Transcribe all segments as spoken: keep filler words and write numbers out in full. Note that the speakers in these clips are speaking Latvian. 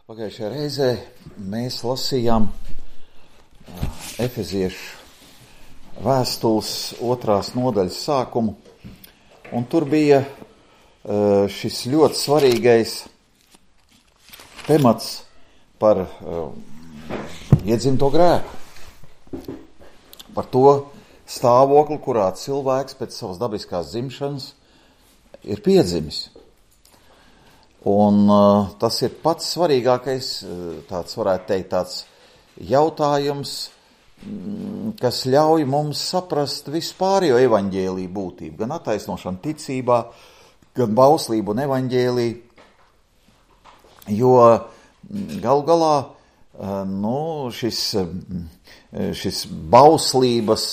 Pagājušajā reizē mēs lasījām Efeziešu vēstules otrās nodaļas sākumu, un tur bija šis ļoti svarīgais temats par iedzimto grēku, par to stāvokli, kurā cilvēks pēc savas dabiskās dzimšanas ir piedzimis. Un uh, tas ir pats svarīgākais, tāds varētu teikt, tāds jautājums, kas ļauj mums saprast vispārējo evaņģēliju būtību, gan attaisnošanu ticībā, gan bauslību un evaņģēliju, jo galu galā uh, nu, šis, šis bauslības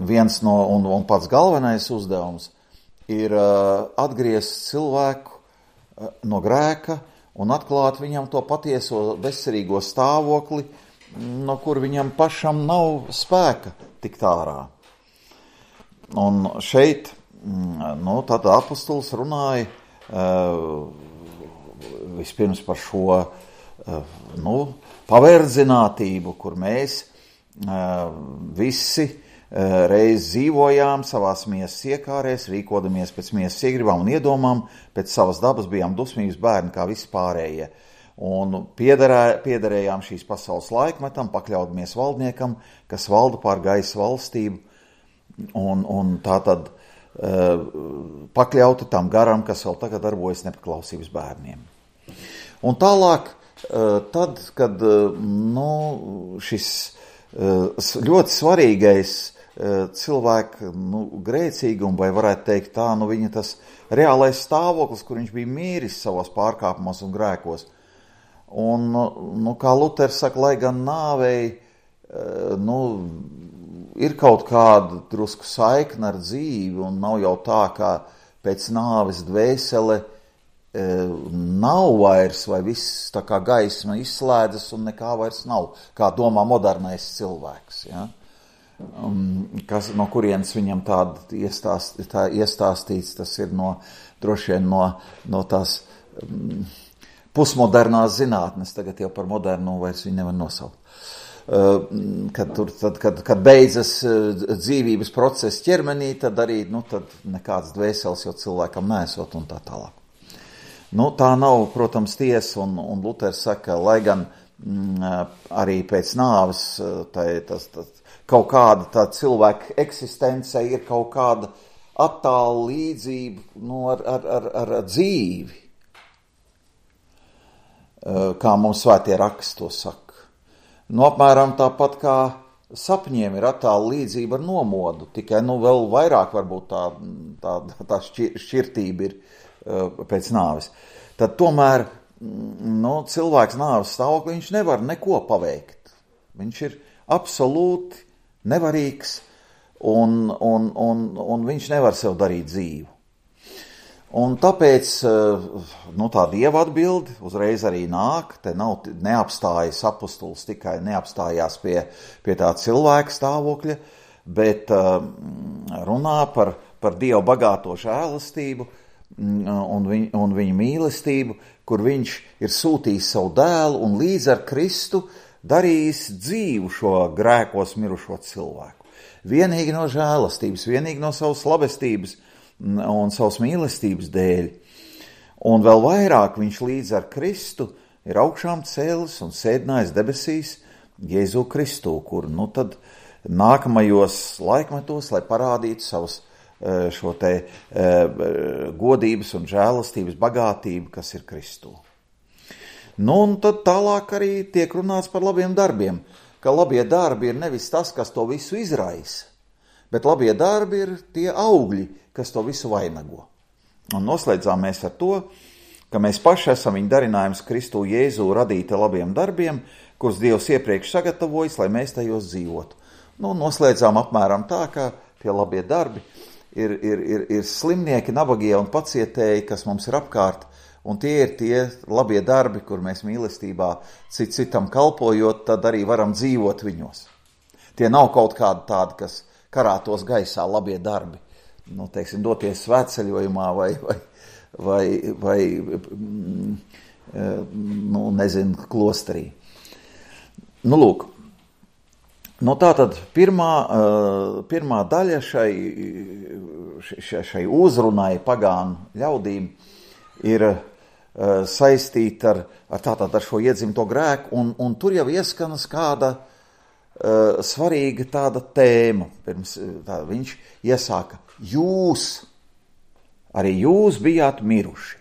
viens no un, un pats galvenais uzdevums ir uh, atgriezt cilvēku no grēka un atklāt viņam to patieso veselīgo stāvokli, no kur viņam pašam nav spēka tikt ārā. Un šeit, nu, tad apostols runāja uh, vispirms par šo uh, nu, paverdzinātību, kur mēs uh, visi reiz dzīvojām savās miesas iekārēs, rīkodamies pēc miesas iegribām un iedomām, pēc savas dabas bijām dusmības bērni kā visi pārējie. Un piederē, piederējām šīs pasaules laikmetam, pakļaudamies valdniekam, kas valda pār gaisa valstību, un, un tā tad uh, pakļauti tam garam, kas vēl tagad darbojas nepaklausības bērniem. Un tālāk, uh, tad, kad uh, nu, šis uh, ļoti svarīgais cilvēku nu, grēcīgumu, vai varētu teikt tā, nu viņa tas reālais stāvoklis, kur viņš bija mīris savos pārkāpumos un grēkos. Un, nu, kā Luters saka, lai gan nāvei, nu, ir kaut kāda drusku saikna ar dzīvi, un nav jau tā, kā pēc nāves dvēsele nav vairs, vai viss tā kā gaisma izslēdzas un nekā vairs nav, kā domā modernais cilvēks, ja? Um, kas, no kurienes viņam tāda iestāst, tā iestāstīts, tas ir no, droši vien no, no tās um, pusmodernās zinātnes, tagad jau par modernu vairs viņu nevar nosaukt. Uh, kad, tur, tad, kad, kad beidzas uh, dzīvības process ķermenī, tad arī nu, tad nekāds dvēseles jau cilvēkam nesot un tā tālāk. Nu, tā nav, protams, tiesa, un, un Luters saka, lai gan mm, arī pēc nāves tā, tas, tas, kaut kāda tā cilvēka eksistence ir kaut kāda attāla līdzība nu, ar, ar, ar, ar dzīvi, kā mums svētie raksti to saka. Nu, apmēram tāpat kā sapņiem ir attāla līdzība ar nomodu, tikai nu, vēl vairāk varbūt tā, tā, tā šķir, šķirtība ir pēc nāves. Tad tomēr nu, cilvēks nāves stāvoklī viņš nevar neko paveikt. Viņš ir absolūti nevarīgs, un, un, un, un viņš nevar sev darīt dzīvu. Un tāpēc nu, tā Dieva atbildi uzreiz arī nāk, te nav neapstājas apostols, tikai neapstājās pie, pie tā cilvēka stāvokļa, bet runā par, par Dievu bagāto žēlastību un, viņ, un viņa mīlestību, kur viņš ir sūtījis savu dēlu un līdz ar Kristu darījis dzīvu šo grēkos mirušo cilvēku. Vienīgi no žēlastības, vienīgi no savas labestības un savas mīlestības dēļ. Un vēl vairāk viņš līdz ar Kristu ir augšām cēlis un sēdinājis debesīs Jēzu Kristu, kur nu tad nākamajos laikmetos, lai parādītu savas šo te godības un žēlastības bagātību, kas ir Kristū. Nu, un tad tālāk arī tiek runāts par labiem darbiem, ka labie darbi ir nevis tas, kas to visu izraisa, bet labie darbi ir tie augļi, kas to visu vainago. Un noslēdzām mēs ar to, ka mēs paši esam viņa darinājums Kristu Jēzu radīti labiem darbiem, kurus Dievs iepriekš sagatavojis, lai mēs tajos dzīvotu. Nu, noslēdzām apmēram tā, ka tie labie darbi ir, ir, ir, ir slimnieki, nabagie un pacietēji, kas mums ir apkārt. Un tie ir tie labie darbi, kur mēs mīlestībā cit citam kalpojot, tad arī varam dzīvot viņos. Tie nav kaut kādi tādi, kas karātos gaisā labie darbi. Nu, teiksim, doties svētceļojumā vai, vai, vai, vai nu, nezinu, klosterī. Nu, lūk, nu, tātad pirmā, pirmā daļa šai, šai, šai uzrunai pagānu ļaudīm ir saistīta ar, ar, tātad, ar šo iedzimto grēku, un, un tur jau ieskanas kāda uh, svarīga tāda tēma. Pirms tā, viņš iesāka, jūs, arī jūs bijāt miruši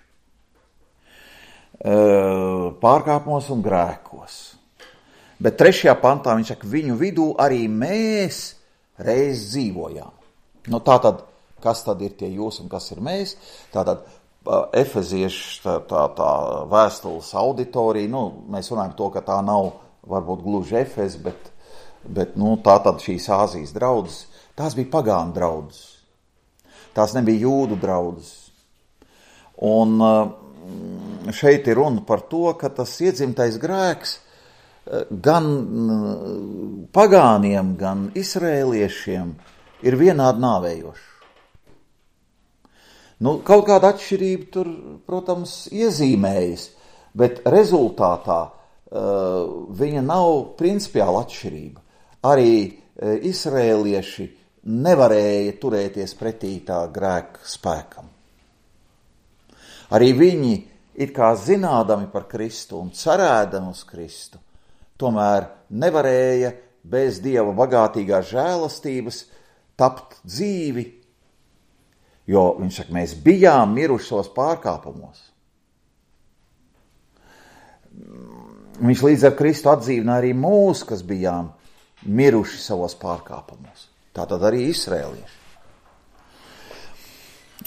uh, pārkāpumos un grēkos. Bet trešajā pantā viņš saka, viņu vidū arī mēs reiz dzīvojām. Nu, tātad, kas tad ir tie jūs un kas ir mēs? Tātad, Efeziešu tā, tā, tā vēstules auditorija, nu, mēs runājam to, ka tā nav varbūt gluži Efes, bet, bet nu, tā tad šīs Āzijas draudzes, tās bija pagānu draudzes. Tās nebija jūdu draudzes. Un šeit ir runa par to, ka tas iedzimtais grēks gan pagāniem, gan izrēliešiem ir vienādi nāvējošs. Nu, kaut kāda atšķirība tur, protams, iezīmējas, bet rezultātā uh, viņa nav principiāla atšķirība. Arī uh, izrēlieši nevarēja turēties pretī tā grēka spēkam. Arī viņi, it kā zinādami par Kristu un cerēdami uz Kristu, tomēr nevarēja bez Dieva bagātīgās žēlastības tapt dzīvi, jo viņš saka, mēs bijām miruši savos pārkāpumos. Viņš līdz ar Kristu atdzīvina arī mūs, kas bijām miruši savos pārkāpumos. Tātad arī izrēlieši.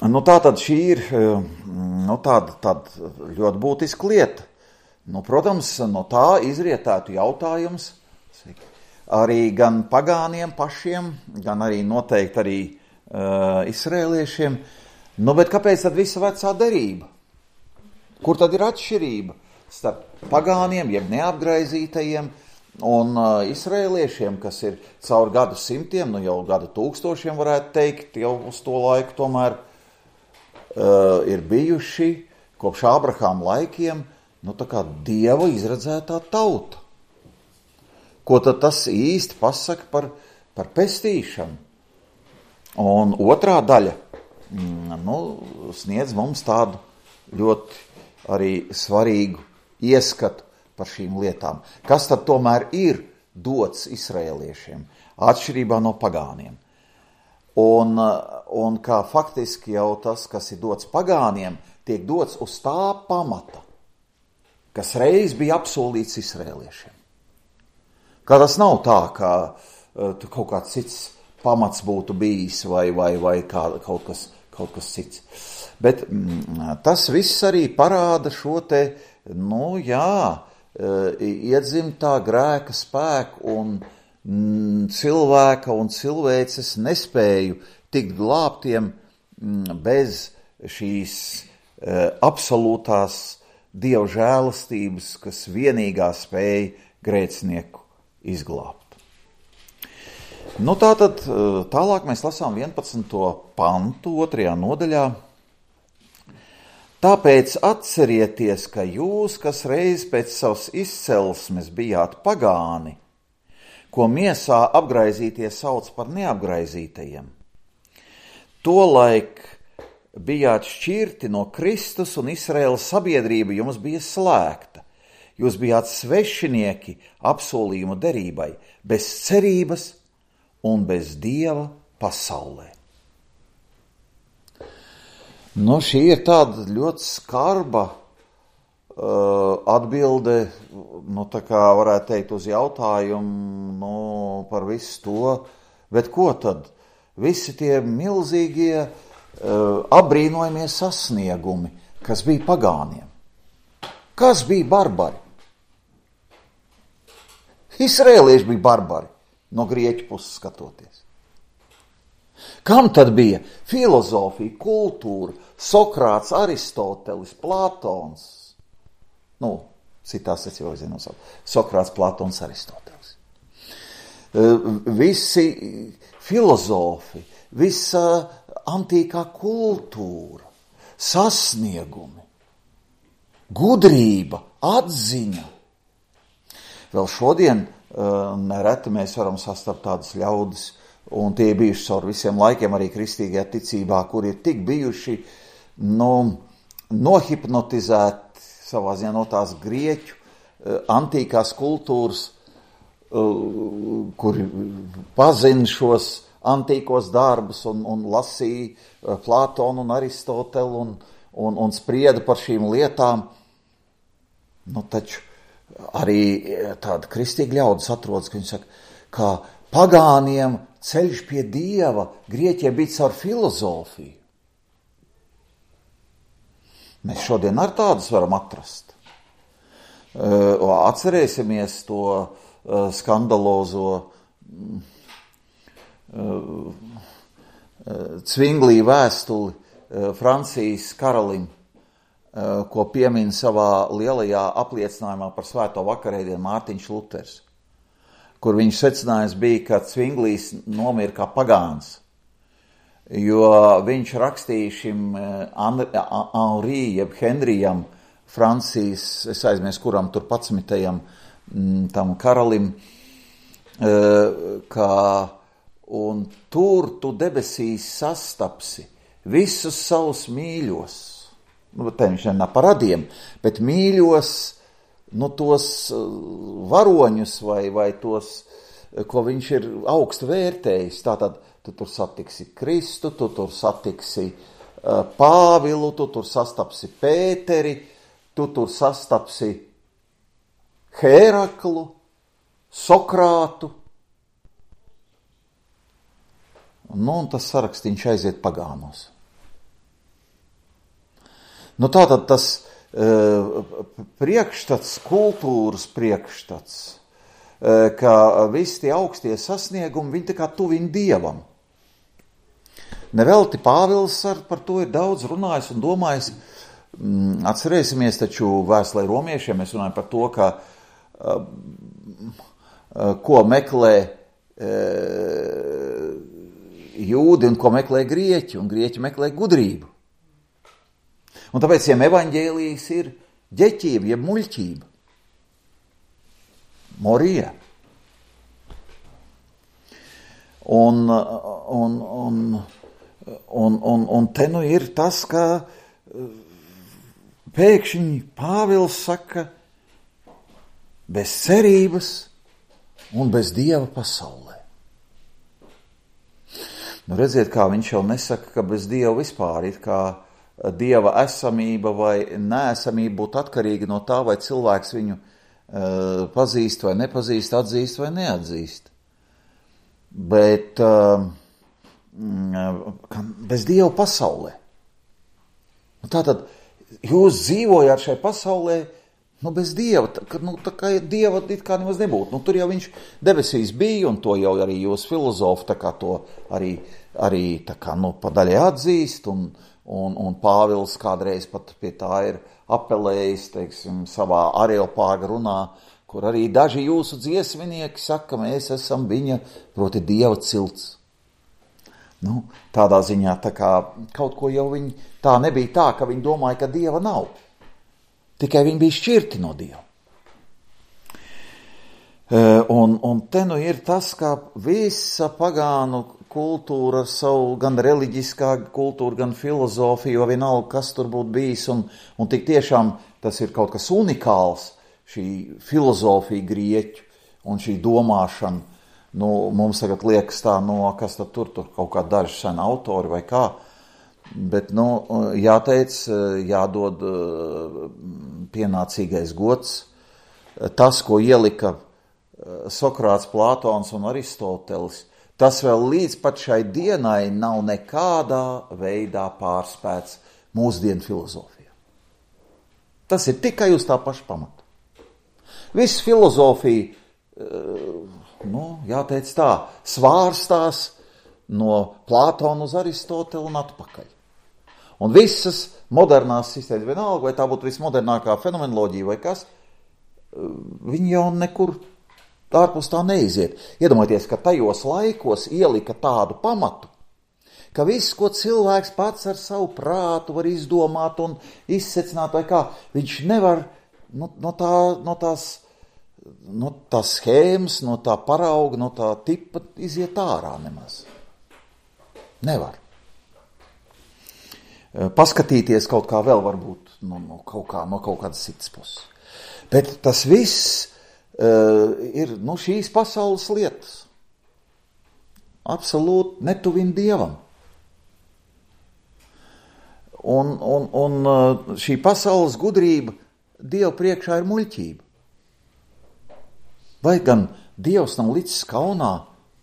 Nu, tātad šī ir nu, tāda, tāda ļoti būtiska lieta. Nu, protams, no tā izrietētu jautājums arī gan pagāniem pašiem, gan arī noteikti arī Uh, izrēliešiem, nu, bet kāpēc tad visa vecā derība? Kur tad ir atšķirība starp pagāniem, jeb neapgraizītajiem un uh, izrēliešiem, kas ir caur gadu simtiem, nu jau gadu tūkstošiem varētu teikt, jau uz to laiku tomēr uh, ir bijuši kopš Ābrahāma laikiem, nu tā kā Dieva izredzētā tauta. Ko tad tas īsti pasaka par, par pestīšanu? Un otrā daļa nu, sniedz mums tādu ļoti arī svarīgu ieskatu par šīm lietām. Kas tad tomēr ir dots izrēliešiem, atšķirībā no pagāniem? Un, un kā faktiski jau tas, kas ir dots pagāniem, tiek dots uz tā pamata, kas reiz bija apsolīts izrēliešiem. Kā tas nav tā, ka uh, kaut kāds cits pamats būtu bijis vai, vai, vai kā, kaut, kas, kaut kas cits. Bet mm, tas viss arī parāda šo te, nu jā, iedzimtā grēka spēku un mm, cilvēka un cilvēces nespēju tikt glābtiem mm, bez šīs uh, absolūtās Dieva žēlastības, kas vienīgā spēja grēcinieku izglābt. Nu, tātad tālāk mēs lasām vienpadsmito pantu otrajā nodaļā. Tāpēc atcerieties, ka jūs, kas reiz pēc savas izcelsmes bijāt pagāni, ko miesā apgraizītie sauc par neapgraizītajiem, tolaik bijāt šķirti no Kristus un Izraēlas sabiedrība jums bija slēgta. Jūs bijāt svešinieki apsolījumu derībai, bez cerības un bez Dieva pasaulē. Nu, šī ir tāda ļoti skarba uh, atbilde, nu, tā kā varētu teikt uz jautājumu, nu, par visu to, bet ko tad? Visi tie milzīgie, uh, apbrīnojamie sasniegumi, kas bija pagāniem. Kas bija barbari? Izrēlieši bija barbari. No grieķu puses skatoties. Kam tad bija filozofija, kultūra, Sokrāts, Aristotelis, Platons? Nu, citās es jau zinu, Sokrāts, Platons, Aristotelis. Visi filozofi, visa antīkā kultūra, sasniegumi. gudrība, atziņa. Vēl šodien uh, nereti mēs varam sastapt tādas ļaudis, un tie bijuši caur visiem laikiem arī kristīgajā ticībā, kur ir tik bijuši nu, nohipnotizēti savā ziņā no tās grieķu uh, antīkās kultūras, uh, kuri pazina šos antīkos darbus un, un lasīja uh, Plātonu un Aristotelu un, un, un sprieda par šīm lietām. Nu, taču arī tāda kristīga ļaudis atrodas, ka viņi saka, ka pagāniem ceļš pie Dieva Grieķijai bija caur filozofiju. Mēs šodien ar tādus varam atrast. Atcerēsimies to skandalozo Cvinglī vēstuli Francijas karalim, ko piemin savā lielajā apliecinājumā par svēto vakarēdienu Mārtiņš Luters, kur viņš secinājums bija, ka Cvinglīs nomira kā pagāns, jo viņš rakstīja šim Henri, jeb Henrijam, Francijas, es aizmies kuram tur padsmitajam tam karalim, ka un tur tu debesīs sastapsi visus savus mīļos. Nu, te viņš nenā par radiem, bet mīļos, nu, tos varoņus vai, vai tos, ko viņš ir augstu vērtējis. Tātad tu tur satiksi Kristu, tu tur satiksi uh, Pāvilu, tu tur sastapsi Pēteri, tu tur sastapsi Hēraklu, Sokrātu. Nu, un tas sarakstīņš aiziet pagānos. Nu, tātad tas uh, priekšstats, kultūras priekšstats, uh, ka visi tie augstie sasniegumi, viņi tā kā tuvina Dievam. Nevelti Pāvils ar, par to ir daudz runājis un domājis. Mm, atcerēsimies taču vēstulē romiešiem, mēs runājam par to, ka uh, uh, ko meklē uh, jūdi un ko meklē grieķi, un grieķi meklē gudrību. Un tāpēc viņiem evaņģēlijas ir ģeķība, jeb muļķība. Morija. Un, un, un, un, un, un te nu ir tas, ka pēkšņi Pāvils saka, bez cerības un bez Dieva pasaulē. Nu, redziet, kā viņš jau nesaka, ka bez Dieva vispār ir kā Dieva esamība vai neesamība būtu atkarīga no tā, vai cilvēks viņu uh, pazīst vai nepazīst, atzīst vai neatzīst. Bet uh, bez Dieva pasaulē. Tātad jūs dzīvojāt šai pasaulē, nu bez Dieva, tā, nu, tā kā Dieva it kā nemaz nebūtu. Nu, tur jau viņš debesīs bija, un to jau arī jūs filozofi tā kā to arī, arī tā kā, nu, pa daļai atzīst, un Un, un Pāvils kādreiz pat pie tā ir apelējis, teiksim, savā Areopāga runā, kur arī daži jūsu dziesminieki saka, mēs esam viņa, proti Dieva cilts. Nu, tādā ziņā tā kā kaut ko jau viņi, tā nebija tā, ka viņi domāja, ka Dieva nav. Tikai viņi bija šķirti no Dieva. Un, un te nu ir tas, ka visa pagānu kultūra, savu gan reliģiskā kultūra, gan filozofija, vienalga, kas tur būtu bijis, un, un tik tiešām tas ir kaut kas unikāls, šī filozofija grieķu un šī domāšana. Nu, mums tagad liekas tā, no kas tad tur, tur kaut kā daži sen autori vai kā, bet, nu, jāteic, jādod pienācīgais gods. Tas, ko ielika Sokrāts, Plātons un Aristotelis, tas vēl līdz pat šai dienai nav nekādā veidā pārspēts mūsdienu filozofijā. Tas ir tikai uz tā paša pamata. Viss filozofija, nu, jāteic tā, svārstās no Plātona uz Aristotelu un atpakaļ. Un visas modernās sistēmas, vienalga, vai tā būtu vismodernākā fenomenoloģija vai kas, viņi jau nekur ārpus tā neiziet. Iedomājieties, ka tajos laikos ielika tādu pamatu, ka viss, ko cilvēks pats ar savu prātu var izdomāt un izsecināt, vai kā, viņš nevar no, no, tā, no, tās, no tās schēmas, no tā parauga, no tā tipa iziet ārā nemaz. Nevar. Paskatīties kaut kā vēl varbūt no, no, kaut, kā, no kaut kādas citas puses. Bet tas viss uh, ir nu, šīs pasaules lietas. Absolūti netuvina Dievam. Un, un, un šī pasaules gudrība Dievu priekšā ir muļķība. Vai gan Dievs nav licis kaunā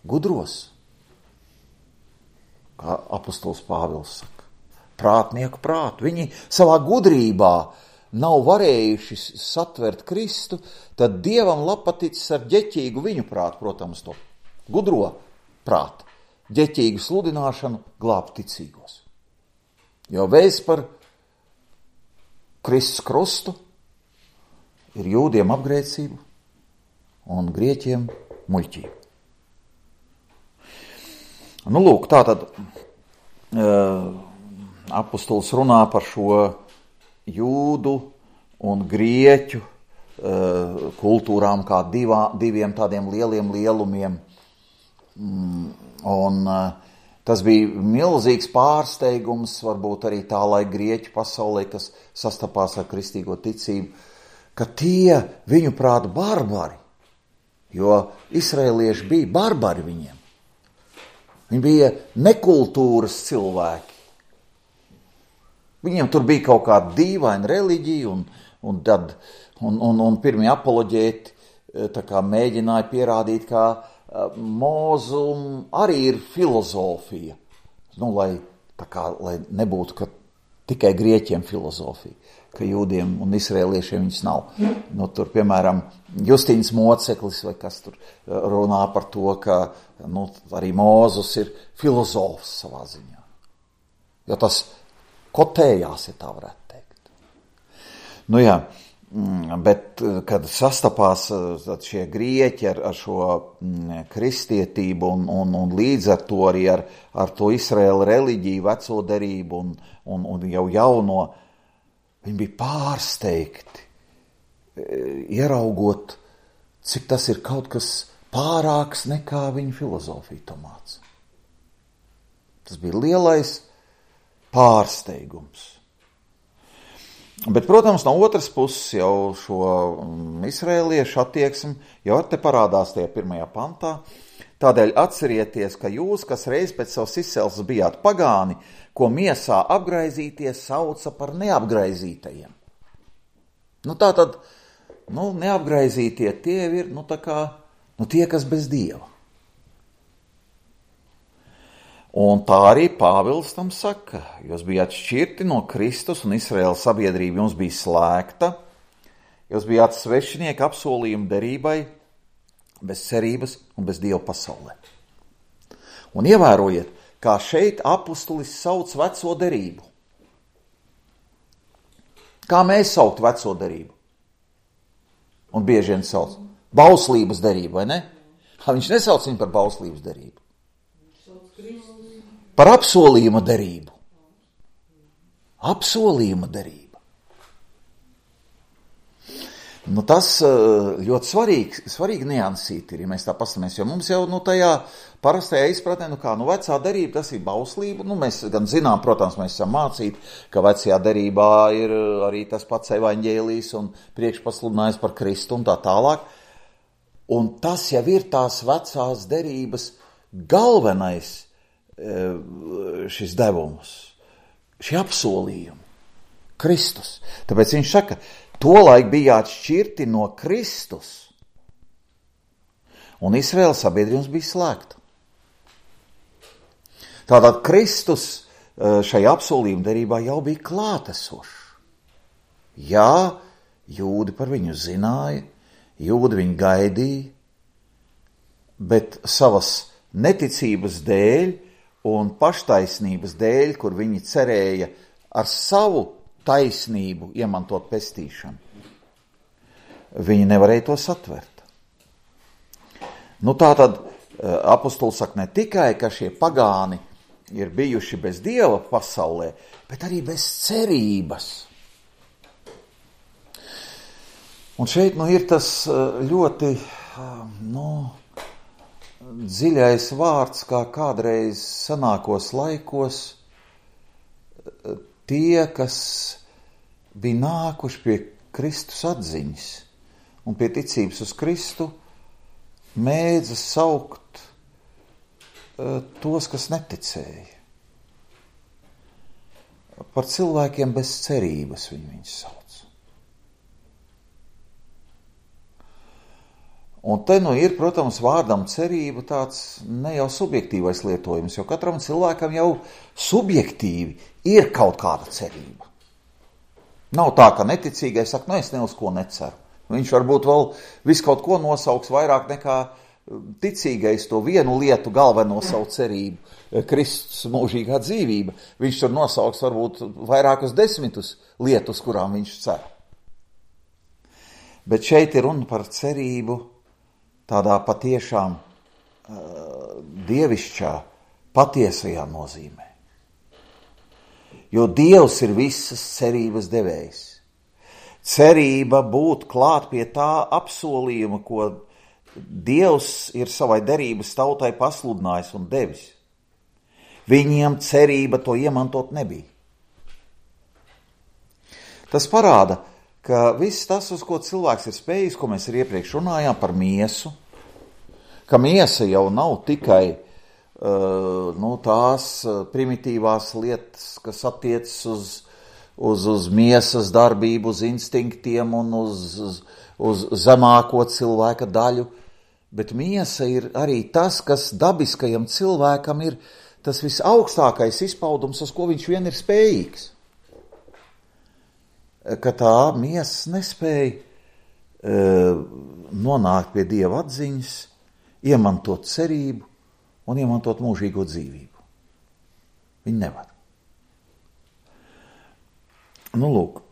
gudros? Kā apostols Pāvils saka. Prātnieku prātu. Viņi savā gudrībā nav varējuši satvert Kristu, tad Dievam lapaticis ar ģeķīgu viņu prātu, protams, to gudro prātu, ģeķīgu sludināšanu glābt ticīgos. Jo vēsts par Kristus krustu ir jūdiem apgrēcību un grieķiem muļķību. Nu, lūk, tātad uh, apostols runā par šo jūdu un grieķu uh, kultūrām kā divā, diviem tādiem lieliem lielumiem. Mm, un uh, tas bija milzīgs pārsteigums, varbūt arī tā laika grieķu pasaulē, kas sastapās ar kristīgo ticību, ka tie viņu prāt barbari, jo izraelieši bija barbari viņiem. Viņi bija nekultūras cilvēki. Viņiem tur bija kaut kāda dīvaina reliģija, un, un, tad, un, un, un pirmie apoloģēti tā kā mēģināja pierādīt, ka mūzum arī ir filozofija. Nu, lai, tā kā, lai nebūtu, ka tikai grieķiem filozofija, ka jūdiem un izrēliešiem viņas nav. Nu, tur, piemēram, Justīns Moceklis, vai kas tur runā par to, ka nu, arī Mūzus ir filozofs savā ziņā. Jo tas kotējās, ja tā varētu teikt. Nu jā, bet kad sastapās šie grieķi ar, ar šo kristietību un, un, un līdz ar to arī ar, ar to Izraēla reliģiju, veco derību un, un, un jau jauno, viņi bija pārsteigti, ieraugot, cik tas ir kaut kas pārāks nekā viņa filozofija to māca. Tas bija lielais pārsteigums. Bet, protams, no otras puses jau šo izraēliešu attieksmi jau te parādās tajā pirmajā pantā. Tādēļ atcerieties, ka jūs, kas reiz pēc savas izcelsmes bijāt pagāni, ko miesā apgraizīties sauca par neapgraizītajiem. Nu tā tad, nu neapgraizītie tie ir, nu tā kā, nu tie, kas bez Dieva. Un tā arī Pāvils tam saka, jūs bijāt šķirti no Kristus un Izraēlas sabiedrība jums bija slēgta, jūs bijāt svešinieki apsolījumu derībai, bez cerības un bez Dieva pasaulē. Un ievērojiet, kā šeit apustulis sauc veco derību. Kā mēs saukt veco derību? Un bieži vien sauc bauslības derību, vai ne? Ha, viņš nesauc viņu par bauslības derību. Par apsolījuma derību. Apsolījuma derība. Nu, tas ļoti svarīgi, svarīgi niansīt ir, ja mēs tā pastamies, jo mums jau nu, tajā parastajā izpratnē, nu kā, nu vecā derība, tas ir bauslība, nu mēs gan zinām, protams, mēs esam mācīti, ka vecajā derībā ir arī tas pats evaņģēlijs un priekšpasludinājums par Kristu un tā tālāk, un tas jau ir tās vecās derības galvenais šis devums, šie apsolījumi, Kristus. Tāpēc viņš saka, tolaik bijāt šķirti no Kristus, un Izraēlas sabiedrības bija slēgta. Tātad Kristus šajā apsolījuma derībā jau bija klātesošs. Jā, jūdi par viņu zināja, jūdi viņu gaidīja, bet savas neticības dēļ un paštaisnības dēļ, kur viņi cerēja ar savu taisnību iemantot pestīšanu, viņi nevarēja to satvert. Nu tā tad apostols saka ne tikai, ka šie pagāni ir bijuši bez Dieva pasaulē, bet arī bez cerības. Un šeit nu, ir tas ļoti nu, dziļais vārds, kā kādreiz senākos laikos tie, kas bija nākuši pie Kristus atziņas un pie ticības uz Kristu, mēdza saukt tos, kas neticēja. Par cilvēkiem bez cerības viņi viņus sauc. Un te nu ir, protams, vārdam cerība tāds ne jau subjektīvais lietojums, jo katram cilvēkam jau subjektīvi ir kaut kāda cerība. Nav tā, ka neticīgais saka, nu es ne uz ko neceru. Viņš varbūt vēl visu kaut ko nosauks vairāk nekā ticīgais to vienu lietu galveno savu cerību, Kristus mūžīgā dzīvība. Viņš tur nosauks varbūt vairākus desmitus lietus, kurām viņš cer. Bet šeit ir runa par cerību tādā patiešām uh, dievišķā, patiesajā nozīmē. Jo Dievs ir visas cerības devējs. Cerība būt klāt pie tā apsolījuma, ko Dievs ir savai derības tautai pasludinājis un devis. Viņiem cerība to iemantot nebija. Tas parāda, ka viss tas, uz ko cilvēks ir spējis, ko mēs arī iepriekš runājām par miesu, ka miesa jau nav tikai uh, nu, tās primitīvās lietas, kas attiecas uz, uz, uz miesas darbību, uz instinktiem un uz, uz, uz zemāko cilvēka daļu, bet miesa ir arī tas, kas dabiskajam cilvēkam ir tas visaugstākais izpaudums, uz ko viņš vien ir spējīgs. Ka tā miesa nespēja e, nonākt pie Dieva atziņas, iemantot cerību un iemantot mūžīgo dzīvību. Viņi nevar. Nu, lūk.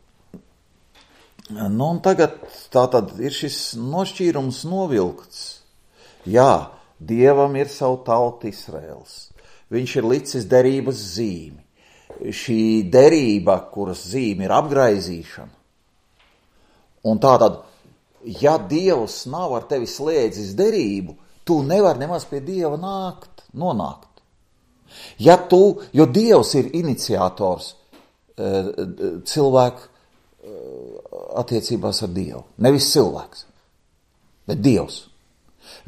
Nu, un tagad tā tad ir šis nošķīrums novilkts. Jā, Dievam ir savu tautu Izraels. Viņš ir licis derības zīmi. Šī derība, kuras zīme ir apgraizīšana. Un tātad, ja Dievs nav ar tevi slēdzis derību, tu nevar nemaz pie Dieva nākt, nonākt. Ja tu, jo Dievs ir iniciators cilvēku attiecībās ar Dievu. Nevis cilvēks, bet Dievs.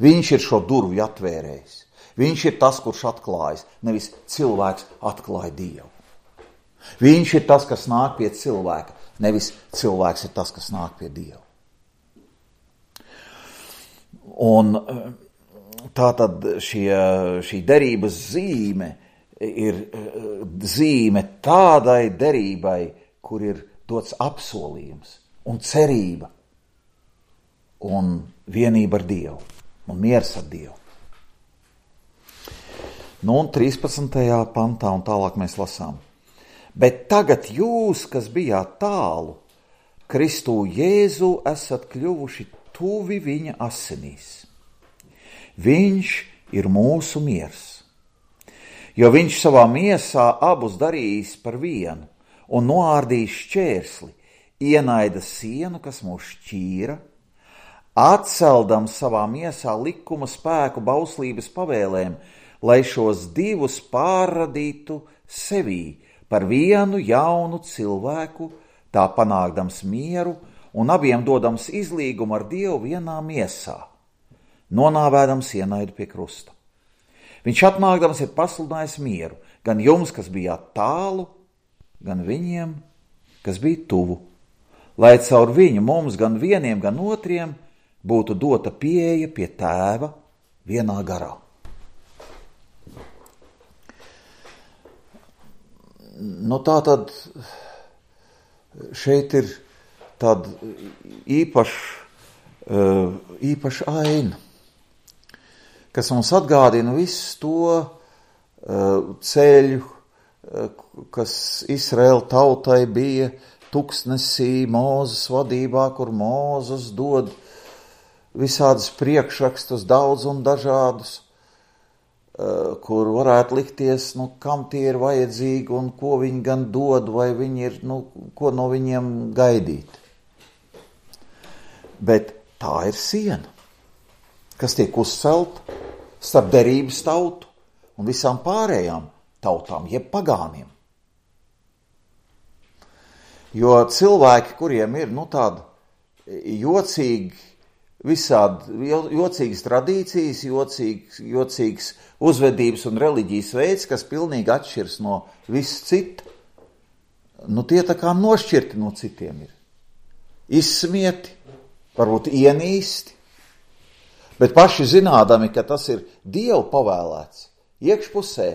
Viņš ir šo durvju atvērējis. Viņš ir tas, kurš atklājas, nevis cilvēks atklāja Dievu. Viņš ir tas, kas nāk pie cilvēka, nevis cilvēks ir tas, kas nāk pie Dieva. Un tā tad šie, šī derības zīme ir zīme tādai derībai, kur ir dots apsolījums un cerība un vienība ar Dievu un miers ar Dievu. Nu un trīspadsmitajā pantā un tālāk mēs lasām. Bet tagad jūs, kas bijāt tālu, Kristū Jēzu esat kļuvuši tuvi viņa asinīs. Viņš ir mūsu miers, jo viņš savā miesā abus darījis par vienu un noārdījis šķērsli, ienaida sienu, kas mūs šķīra, atceldams savā miesā likuma spēku bauslības pavēlēm, lai šos divus pārradītu sevī, par vienu jaunu cilvēku, tā panākdams mieru un abiem dodams izlīgumu ar Dievu vienā miesā, nonāvēdams ienaidu pie krusta. Viņš atnākdams ir pasludinājis mieru, gan jums, kas bijāt tālu, gan viņiem, kas bija tuvu, lai caur viņu mums gan vieniem, gan otriem būtu dota pieeja pie Tēva vienā garā. Nu tā tad šeit ir tāda īpaša, īpaša aina, kas mums atgādina visu to ceļu, kas Izraēla tautai bija tuksnesī Mūzes vadībā, kur Mūzes dod visādus priekšrakstus, daudz un dažādus, kur varētu likties, nu, kam tie ir vajadzīgi un ko viņi gan dod, vai viņi ir, nu, ko no viņiem gaidīt. Bet tā ir siena, kas tiek uzcelta starp derības tautu un visām pārējām tautām, jeb pagāniem. Jo cilvēki, kuriem ir, nu, tāda jocīgi, visādi jocīgas tradīcijas, jocīgas, jocīgas uzvedības un reliģijas veids, kas pilnīgi atšķirs no viss cita, nu, tie tā kā nošķirti no citiem ir. Izsmieti, varbūt ienīsti, bet paši zinādami, ka tas ir Dievu pavēlēts, iekšpusē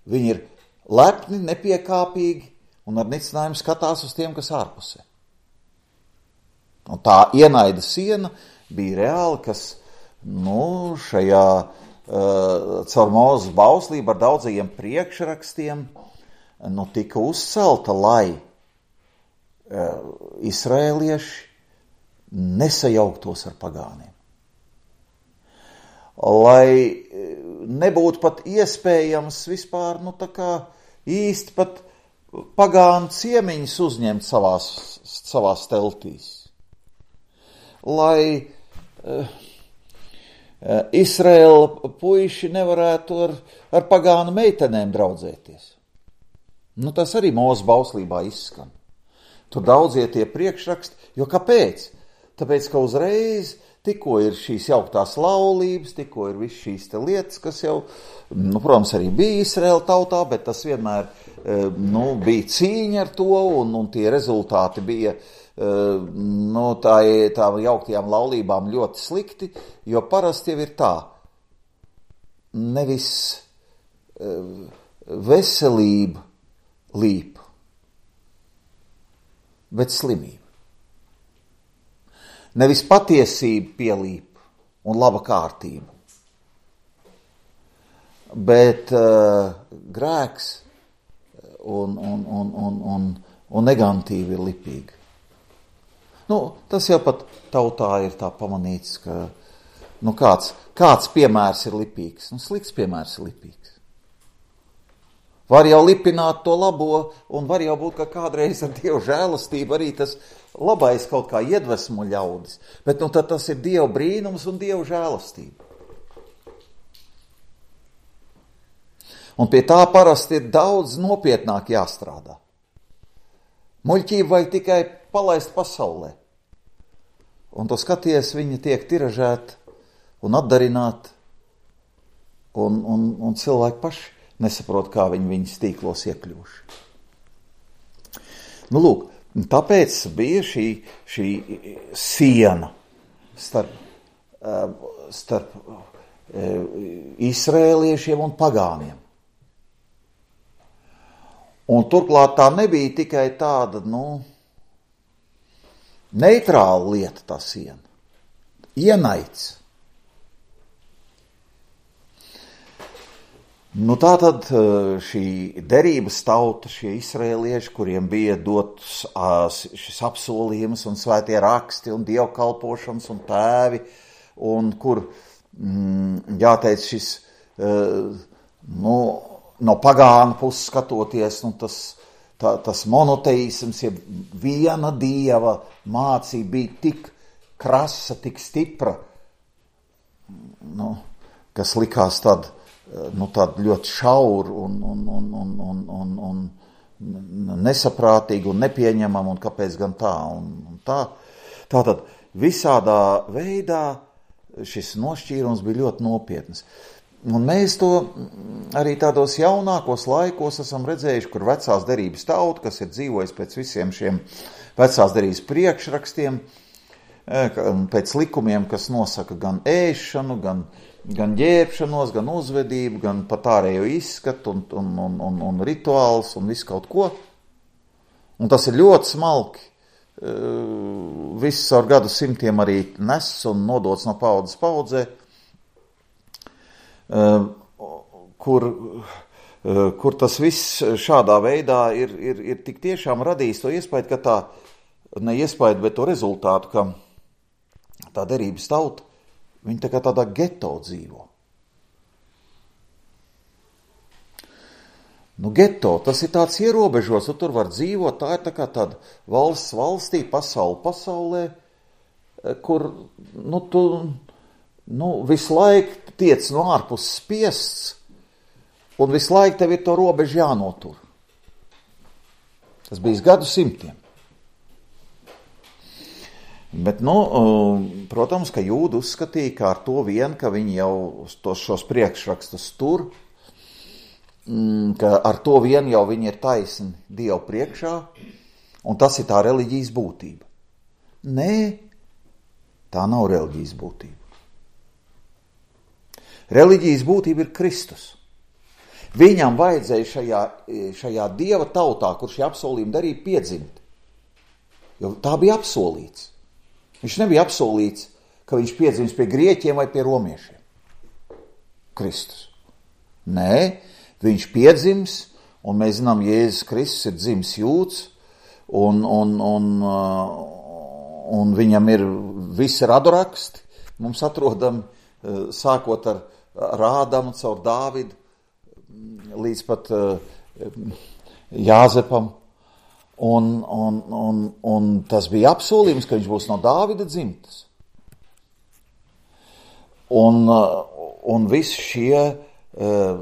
viņi ir lepni, nepiekāpīgi un ar nicinājumu skatās uz tiem, kas ārpusē. Un tā ienaida siena bija reāli, kas, nu, šajā uh, caur Mūzes bauslību ar daudzajiem priekšrakstiem, nu, tika uzcelta, lai uh, izraēlieši nesajauktos ar pagāniem. Lai nebūtu pat iespējams vispār, nu, tā kā īsti pat pagānu ciemiņus uzņemt savās, savās teltīs. Lai uh, Izraēla puiši nevarētu ar, ar pagānu meitenēm draudzēties. Nu, tas arī Mūzes bauslībā izskan. Tur daudzie tie priekšraksti, jo kāpēc? Tāpēc, ka uzreiz tikko ir šīs jauktās laulības, tikko ir viss šīs te lietas, kas jau, nu, protams, arī bija Izraēla tautā, bet tas vienmēr, nu, bija cīņa ar to, un, un tie rezultāti bija, nu, tā, tā jauktajām laulībām ļoti slikti, jo parasti jau ir tā, nevis veselība līp, bet slimība. Nevis patiesība pielīp un laba kārtība, bet uh, grēks un, un, un, un, un, un negantīvi ir lipīgi. Nu, tas jau pat tautā ir tā pamanīts, ka, nu, kāds, kāds piemērs ir lipīgs. Nu, slikts piemērs ir lipīgs. Var jau lipināt to labo, un var jau būt, ka kādreiz ar Dievu žēlastību arī tas labais kaut kā iedvesmo ļaudis. Bet, nu, tad tas ir Dieva brīnums un Dieva žēlastība. Un pie tā parasti ir daudz nopietnāk jāstrādā. Muļķību vajag tikai palaist pasaulē. Un to skaties, viņi tiek tiražēti un atdarināti, un, un, un cilvēki paši nesaprot, kā viņi viņas tīklos iekļūši. Nu, lūk, tāpēc bija šī, šī siena starp, starp izraēliešiem un pagāniem. Un turklāt tā nebija tikai tāda, nu, neitrāla lieta tā siena. Ienaids. Nu, tā tad šī derības tauta, šie izraēlieši, kuriem bija dots šis apsolījums un svētie raksti un dievkalpošanas un tēvi, un kur, mm, jāteic, šis, nu, no pagānu puses skatoties, nu, tas, tā, tas monoteisms, ja viena dieva mācība bija tik krasa, tik stipra, nu, kas likās tad, nu, tādu ļoti šauru un, un, un, un, un, un, un nesaprātīgu un nepieņemamu, un kāpēc gan tā, un, un tā. Tātad visādā veidā šis nošķīrums bija ļoti nopietns. Un mēs to arī tādos jaunākos laikos esam redzējuši, kur vecās derības tauta, kas ir dzīvojis pēc visiem šiem vecās derības priekšrakstiem, pēc likumiem, kas nosaka gan ēšanu, gan gan ģērbšanos, gan uzvedību, gan pat ārējo izskatu un, un, un, un, un rituāls un visu kaut ko. Un tas ir ļoti smalki. Viss ar gadu simtiem arī nes un nodots no paudzes paudzē, kur, kur tas viss šādā veidā ir, ir, ir tik tiešām radījis to iespēju, ka tā, ne iespēju, bet to rezultātu, ka tā derības tauta, viņi tā kā tādā geto dzīvo. Nu, geto, tas ir tāds ierobežos, un tur var dzīvot, tā ir tā kā tāda valsts valstī, pasauli pasaulē, kur, nu, tu, nu, visu laiku tiec no ārpus spiests, un visu laiku tev ir to robežu jānotur. Tas bijis gadu simtiem. Bet, nu, protams, ka jūdi uzskatīja, ka ar to vien, ka viņi jau tos šos priekšrakstus tur, ka ar to vien jau viņi ir taisni Dievu priekšā, un tas ir tā reliģijas būtība. Nē, tā nav reliģijas būtība. Reliģijas būtība ir Kristus. Viņam vajadzēja šajā, šajā Dieva tautā, kur šie apsolījumi darīja, piedzimt. Jo tā bija apsolīts. Viņš nebija apsolīts, ka viņš piedzims pie grieķiem vai pie romiešiem. Kristus. Nē, viņš piedzims, un mēs zinām, Jēzus Kristus ir dzimis jūds, un, un, un, un viņam ir visi raduraksti. Mums atrodam, sākot ar Rādamu caur Dāvidu, līdz pat Jāzepam. Un, un, un, un tas bija apsolījums, ka viņš būs no Dāvida dzimtas. Un, un visi šie uh,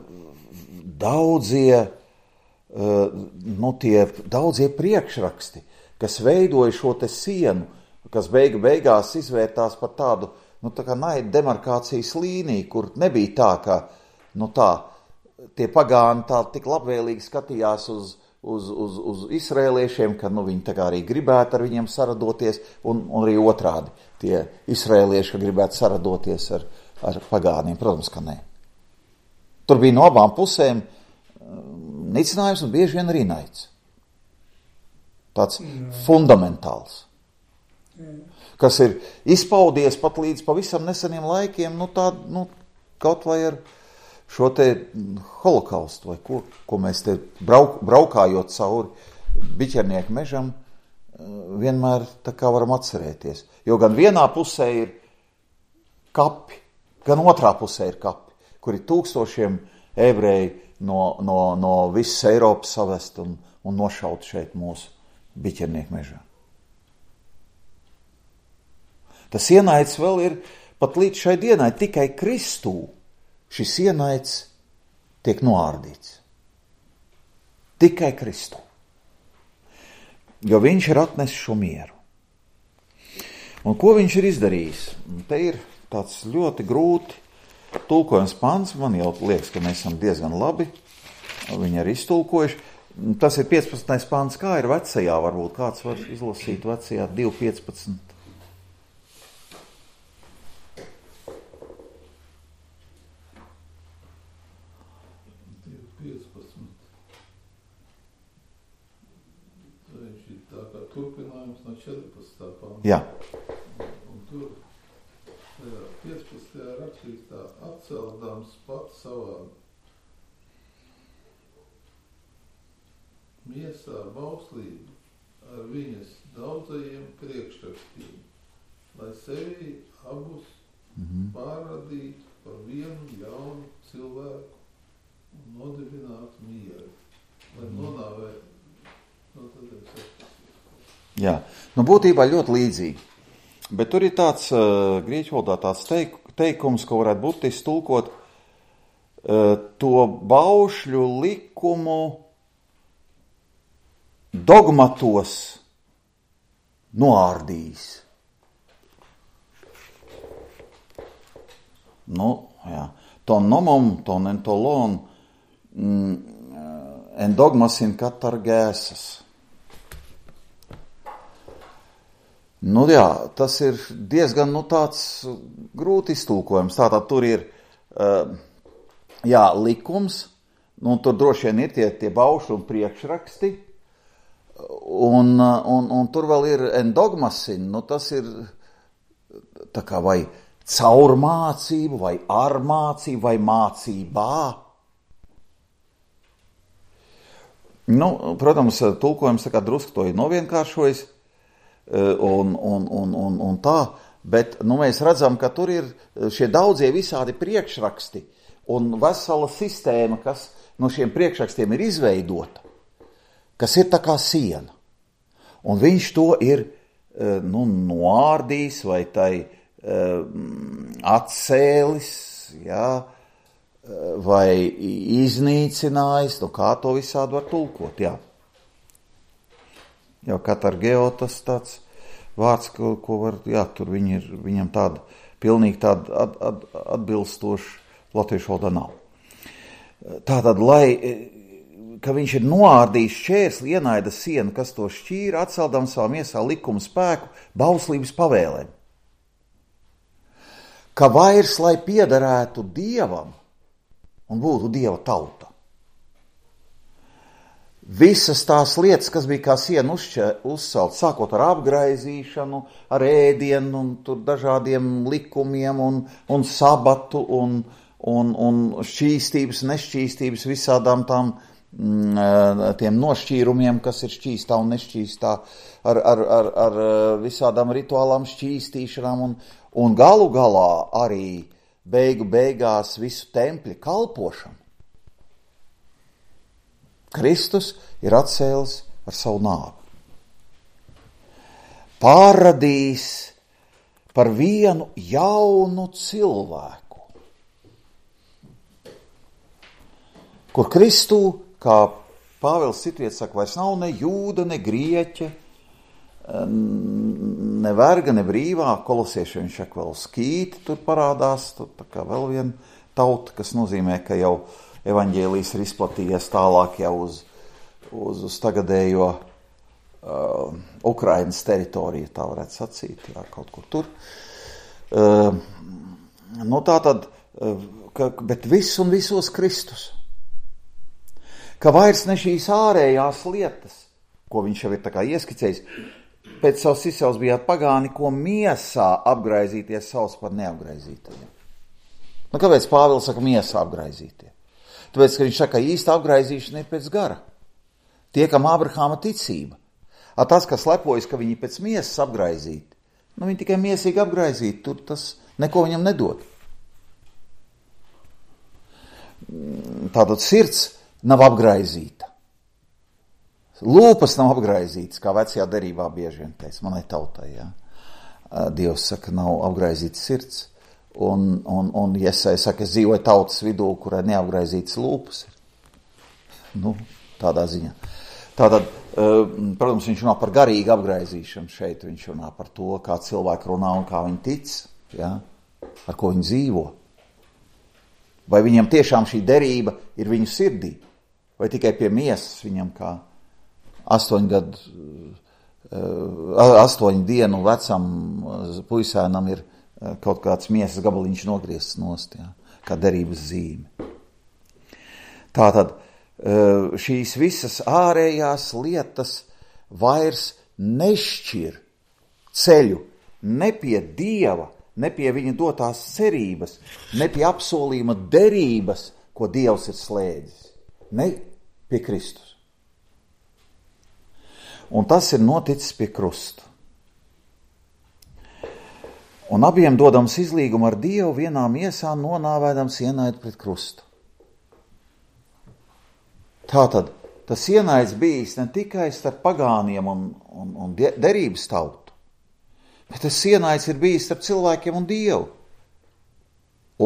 daudzie, uh, nu tie daudzie priekšraksti, kas veidoja šo te sienu, kas beigu beigās izvērtās par tādu, nu tā kā naida demarkācijas līniju, kur nebija tā, ka, nu tā, tie pagāni tā tik labvēlīgi skatījās uz Uz, uz, uz izrēliešiem, ka nu, viņi tā kā arī gribētu ar viņiem saradoties, un, un arī otrādi tie izrēlieši, ka gribētu saradoties ar, ar pagāniem. Protams, ka nē. Tur bija no abām pusēm nicinājums un bieži vien arī naids. Tāds Jā. fundamentāls. Jā. Kas ir izpaudies pat līdz pavisam neseniem laikiem, nu tā, nu, kaut vai ar šo te holokaustu, vai ko, ko mēs te brauk, braukājot cauri biķernieku mežam, vienmēr tā kā varam atcerēties. Jo gan vienā pusē ir kapi, gan otrā pusē ir kapi, kur ir tūkstošiem ebreji no, no, no visas Eiropas savest un, un nošaut šeit mūsu biķernieku mežā. Tas ienaids vēl ir pat līdz šai dienai tikai Kristū. Šis ienaids tiek noārdīts. Tikai Kristu. Jo viņš ir atnesis šo mieru. Un ko viņš ir izdarījis? Te ir tāds ļoti grūti tulkojums pants. Man jau liekas, ka mēs esam diezgan labi viņi arī iztulkojuši. Tas ir piecpadsmitais pants. Kā ir vecajā? Varbūt kāds var izlasīt vecajā divi piecpadsmit. Turpinājums no četrpadsmitā panta. Jā. Un tur piecpadsmitajā rakstīts tā, atceldams pats savā miesā bauslību ar viņas daudzajiem priekšrakstiem, lai sevi abus mm-hmm. pārradītu par vienu jaunu cilvēku un nodibinātu mieru, lai mm-hmm. nonāvētu, no tad ir septiņas. Jā, nu būtībā ļoti līdzīgi, bet tur ir tāds uh, grieķu valodā tāds teik, teikums, ko varētu būt iztulkot uh, to baušļu likumu dogmatos noārdījis. Nu, jā, ton nomom, ton entolon, mm, en dogmasin katargēsas. Nu jā, tas ir diezgan nu, tāds grūti iztulkojums. Tātad tur ir uh, jā, likums, nu tur droši vien ir tie, tie baušļi un priekšraksti, un, un, un tur vēl ir endogmasin, nu tas ir tā kā vai caur mācību, vai ar mācību, vai mācībā. Nu, protams, tulkojums tā kā drusku to ir novienkāršojis, Un, un, un, un, un tā, bet nu, mēs redzam, ka tur ir šie daudzie visādi priekšraksti un vesela sistēma, kas no šiem priekšrakstiem ir izveidota, kas ir tā kā siena. Un viņš to ir nu, noārdījis vai tai atcēlis, jā, vai iznīcinājis, nu kā to visādi var tulkot, jā. Jau katargeo tas tāds vārds, ko, ko var, jā, tur viņi ir, viņam tāda, pilnīgi tāda at, at, atbilstoša latviešu valodā nav. Tātad, lai, ka viņš ir noārdījis šķērsli, ienaida sienu, kas to šķīra, atceldam savā miesā likumu spēku, bauslības pavēlēm. Ka vairs, lai piederētu Dievam un būtu Dieva tauta. Visas tās lietas, kas bija kā siena uzcelt, sākot ar apgraizīšanu, ar ēdienu un tur dažādiem likumiem un, un sabatu un, un, un šķīstības, nešķīstības, visādām tām tiem nošķīrumiem, kas ir šķīstā un nešķīstā, ar, ar, ar, ar visādām rituālām šķīstīšanām un, un galu galā arī beigu beigās visu tempļa kalpošanu. Kristus ir atcēlis ar savu nāvi. Pārradījis par vienu jaunu cilvēku, kur Kristū, kā Pāvils citviet saka, vairs nav ne jūda, ne grieķa, ne verga, ne brīvā, kolosieši viņš saka vēl skīti, tur parādās, tur tā kā vēl viena tauta, kas nozīmē, ka jau evaņģēlijs ir izplatījies tālāk jau uz, uz, uz tagadējo uh, Ukrainas teritoriju, tā varētu sacīt, jā, kaut kur tur. Uh, nu tā tad, uh, ka, bet viss un visos Kristus. Ka vairs ne šīs ārējās lietas, ko viņš jau ir tā kā ieskicējis, pēc savas izcelsmes bijāt pagāni, ko miesā apgraizīties savs par neapgraizītajiem. Nu, kāpēc Pāvils saka miesā apgraizītie? Tāpēc, ka viņš saka, ka īsta apgraizīšana ir pēc gara. Tie, kam Ābrahāma ticība. A tas, kas lepojas, ka viņi pēc miesas apgraizīti, nu viņi tikai miesīgi apgraizīti, tur tas neko viņam nedod. Tātad sirds nav apgraizīta. Lūpas nav apgraizītas, kā vecajā derībā bieži vien teica, manai tautai, jā. Dievs saka, nav apgraizīta sirds. Un, un, un Jesai saka, es dzīvoju tautas vidū, kurai neapgraizītas lūpas ir. Nu, tādā ziņā. Tātad, protams, viņš runā par garīgu apgraizīšanu šeit, viņš runā par to, kā cilvēki runā un kā viņi tic, ja? Ar ko viņi dzīvo. Vai viņam tiešām šī derība ir viņu sirdī, vai tikai pie miesas viņam kā astoņu gadu, astoņu dienu vecam puisēnam ir kaut kāds miesas gabaliņš nogriezts nost, jā, kā derības zīme. Tātad šīs visas ārējās lietas vairs nešķir ceļu ne pie Dieva, ne pie viņa dotās cerības, ne pie apsolījuma derības, ko Dievs ir slēdzis, ne pie Kristus. Un tas ir noticis pie krusta. Un abiem dodams izlīgumu ar Dievu vienā miesā nonāvēdams ienaidu pret krustu. Tātad tas ienaids bijis ne tikai starp pagāniem un, un, un derības tautu, bet tas ienaids ir bijis starp cilvēkiem un Dievu.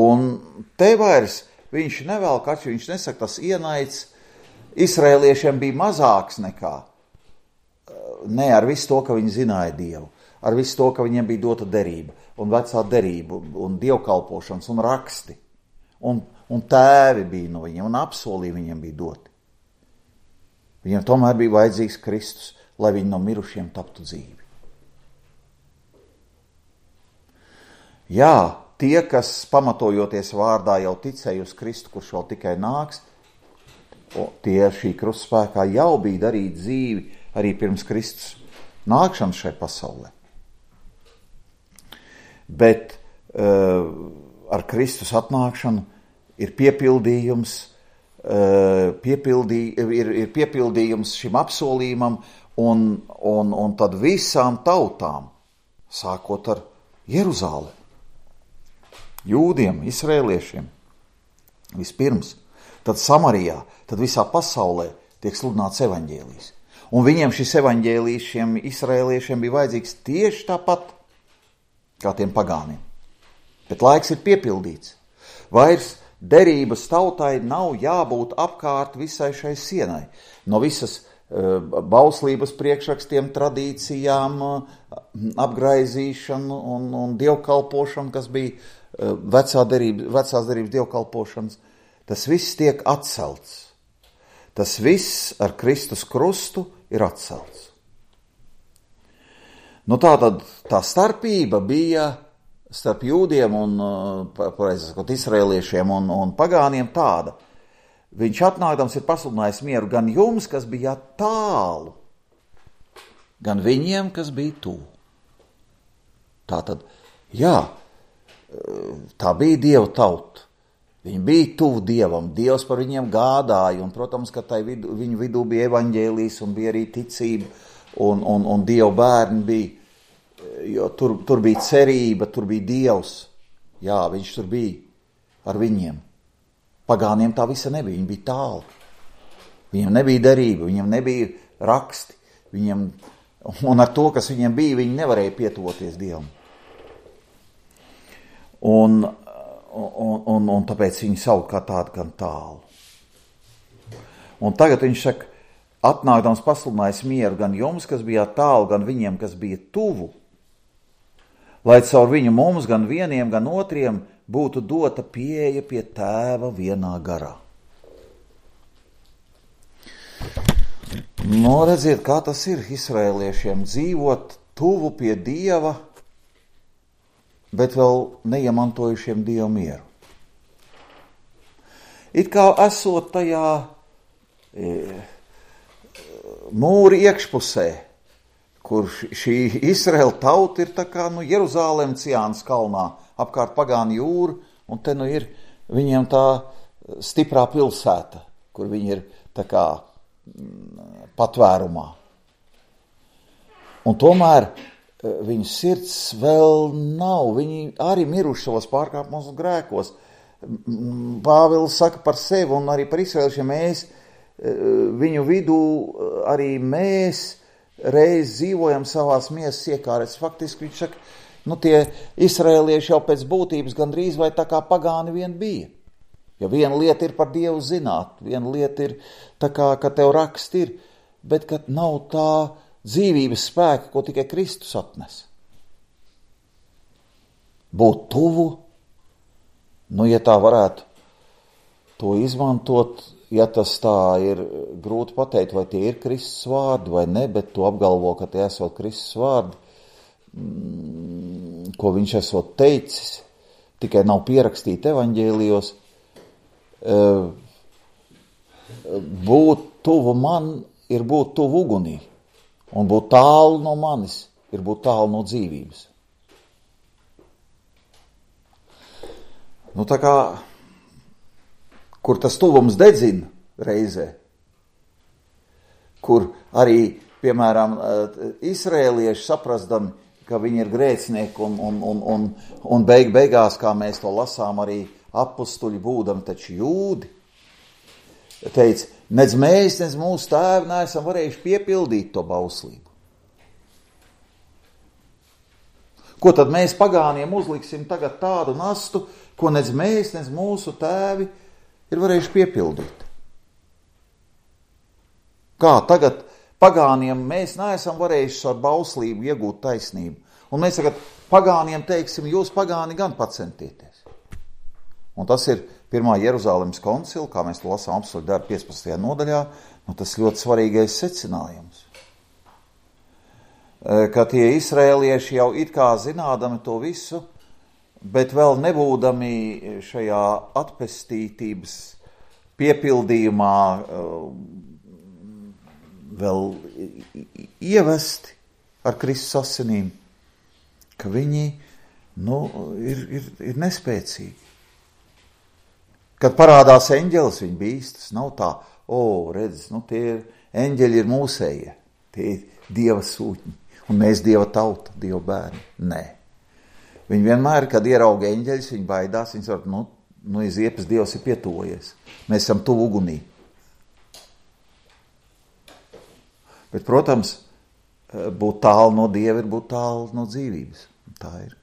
Un te vairs viņš nevēl, kač viņš nesaka, tas ienaids Izraēliešiem bija mazāks nekā, ne ar visu to, ka viņi zināja Dievu, ar visu to, ka viņiem bija dota derība, un vecā derība, un dievkalpošanas, un raksti, un, un tēvi bija no viņiem, un apsolījumi viņiem bija doti. Viņiem tomēr bija vajadzīgs Kristus, lai viņi no mirušiem taptu dzīvi. Jā, tie, kas pamatojoties vārdā jau ticēja uz Kristu, kurš vēl tikai nāks, tie šī krustaspēkā jau bija darīt dzīvi arī pirms Kristus nākšanas šai pasaulē. Bet uh, ar Kristus atnākšanu ir piepildījums, uh, piepildī, ir, ir piepildījums šim apsolījumam un, un, un tad visām tautām, sākot ar Jeruzālemi, jūdiem, izrēliešiem, vispirms, tad Samarijā, tad visā pasaulē tiek sludināts evaņģēlijs. Un viņiem šis evaņģēlijs, šiem izraēliešiem bija vajadzīgs tieši tāpat kā tiem pagāniem. Bet laiks ir piepildīts. Vairs derības tautai nav jābūt apkārt visai šai sienai. No visas uh, bauslības priekšrakstiem, tradīcijām, uh, apgraizīšanu un, un dievkalpošanu, kas bija uh, vecā derība, vecās derības dievkalpošanas, tas viss tiek atcelts. Tas viss ar Kristus krustu ir atcelts. Nu tā tad tā starpība bija starp jūdiem un, pareizi sakot, izraēliešiem un, un pagāniem tāda. Viņš atnākdams ir pasludinājis mieru gan jums, kas bija tālu, gan viņiem, kas bija tuvu. Tātad, jā, tā bija Dieva tauta. Viņi bija tuvu Dievam, Dievs par viņiem gādāja, un, protams, ka tai vidu, viņu vidū bija evaņģēlijs un bija arī ticība, un, un, un Dieva bērni bija. Jo tur, tur bija cerība, tur bija Dievs. Jā, viņš tur bija ar viņiem. Pagāniem tā visa nebija, viņi bija tālu. Viņiem nebija derība, viņiem nebija raksti. Viņiem, un ar to, kas viņiem bija, viņi nevarēja pietuvoties Dievam. Un, un, un, un tāpēc viņi sauc kā tādu gan tālu. Un tagad viņš saka, atnākdams pasludinājis mieru gan jums, kas bija tālu, gan viņiem, kas bija tuvu, lai caur viņu mums, gan vieniem, gan otriem, būtu dota pieeja pie Tēva vienā garā. Nu, redziet, kā tas ir izraēliešiem dzīvot tuvu pie Dieva, bet vēl neiemantojušiem Dieva mieru. It kā esot tajā e, mūri iekšpusē, kur šī Izraēla tauta ir tā kā nu, Jeruzālem Ciānas kalnā, apkārt pagānu jūru, un te nu ir viņiem tā stiprā pilsēta, kur viņi ir tā kā patvērumā. Un tomēr viņu sirds vēl nav, viņi arī miruši savos pārkāpumos un grēkos. Pāvils saka par sevi un arī par izraēliešiem mēs, viņu vidū arī mēs reiz dzīvojam savās miesas iekārēs. Faktiski viņš saka, nu tie izraēlieši jau pēc būtības gandrīz vai tā kā pagāni vien bija. Jo viena lieta ir par Dievu zināt, viena lieta ir tā kā, ka tev rakst ir, bet kad nav tā dzīvības spēka, ko tikai Kristus atnes. Būt tuvu, nu ja tā varētu to izmantot, ja tas tā ir grūti pateikt, vai tie ir Kristus vārdi vai ne, bet tu apgalvo, ka tie esot Kristus vārdi, ko viņš esot teicis, tikai nav pierakstīti evaņģēlijos. Būt tuvu man ir būt tuvu ugunī, un būt tālu no manis ir būt tālu no dzīvības. Nu tā kā kur tas tuvums dedzina reizē, kur arī, piemēram, izraēlieši saprastami, ka viņi ir grēcinieki un, un, un, un, un beig beigās, kā mēs to lasām, arī apustuļi būdami taču jūdi, teica, nedz mēs, nedz mūsu tēvi neesam varējuši piepildīt to bauslību. Ko tad mēs pagāniem uzliksim tagad tādu nastu, ko nedz mēs, nedz mūsu tēvi ir varējuši piepildīt. Kā tagad pagāniem mēs neesam varējuši ar bauslību iegūt taisnību. Un mēs tagad pagāniem teiksim, jūs pagāni gan pacentieties. Un tas ir pirmā Jeruzālemes koncila, kā mēs to lasām apstuļu darbu piecpadsmitajā nodaļā, nu tas ļoti svarīgais secinājums. Ka tie izraēlieši jau it kā zinādami to visu, bet vēl nebūdami šajā atpestītības piepildījumā vēl ievesti ar Kristus asinīm, ka viņi nu, ir, ir, ir nespēcīgi. Kad parādās eņģelis, viņi bīstas, nav tā, o, redz, nu tie ir, eņģeļi ir mūsējie, tie ir Dieva sūtņi, un mēs Dieva tauta, Dieva bērni. Nē. Viņi vienmēr, kad ierauga eņģeļus, viņi baidās, viņi saka, nu, nu, Ziepes Dievs ir pietuvojies. Mēs esam tuvu ugunī. Bet, protams, būt tālu no Dieva ir būt tālu no dzīvības. Tā ir.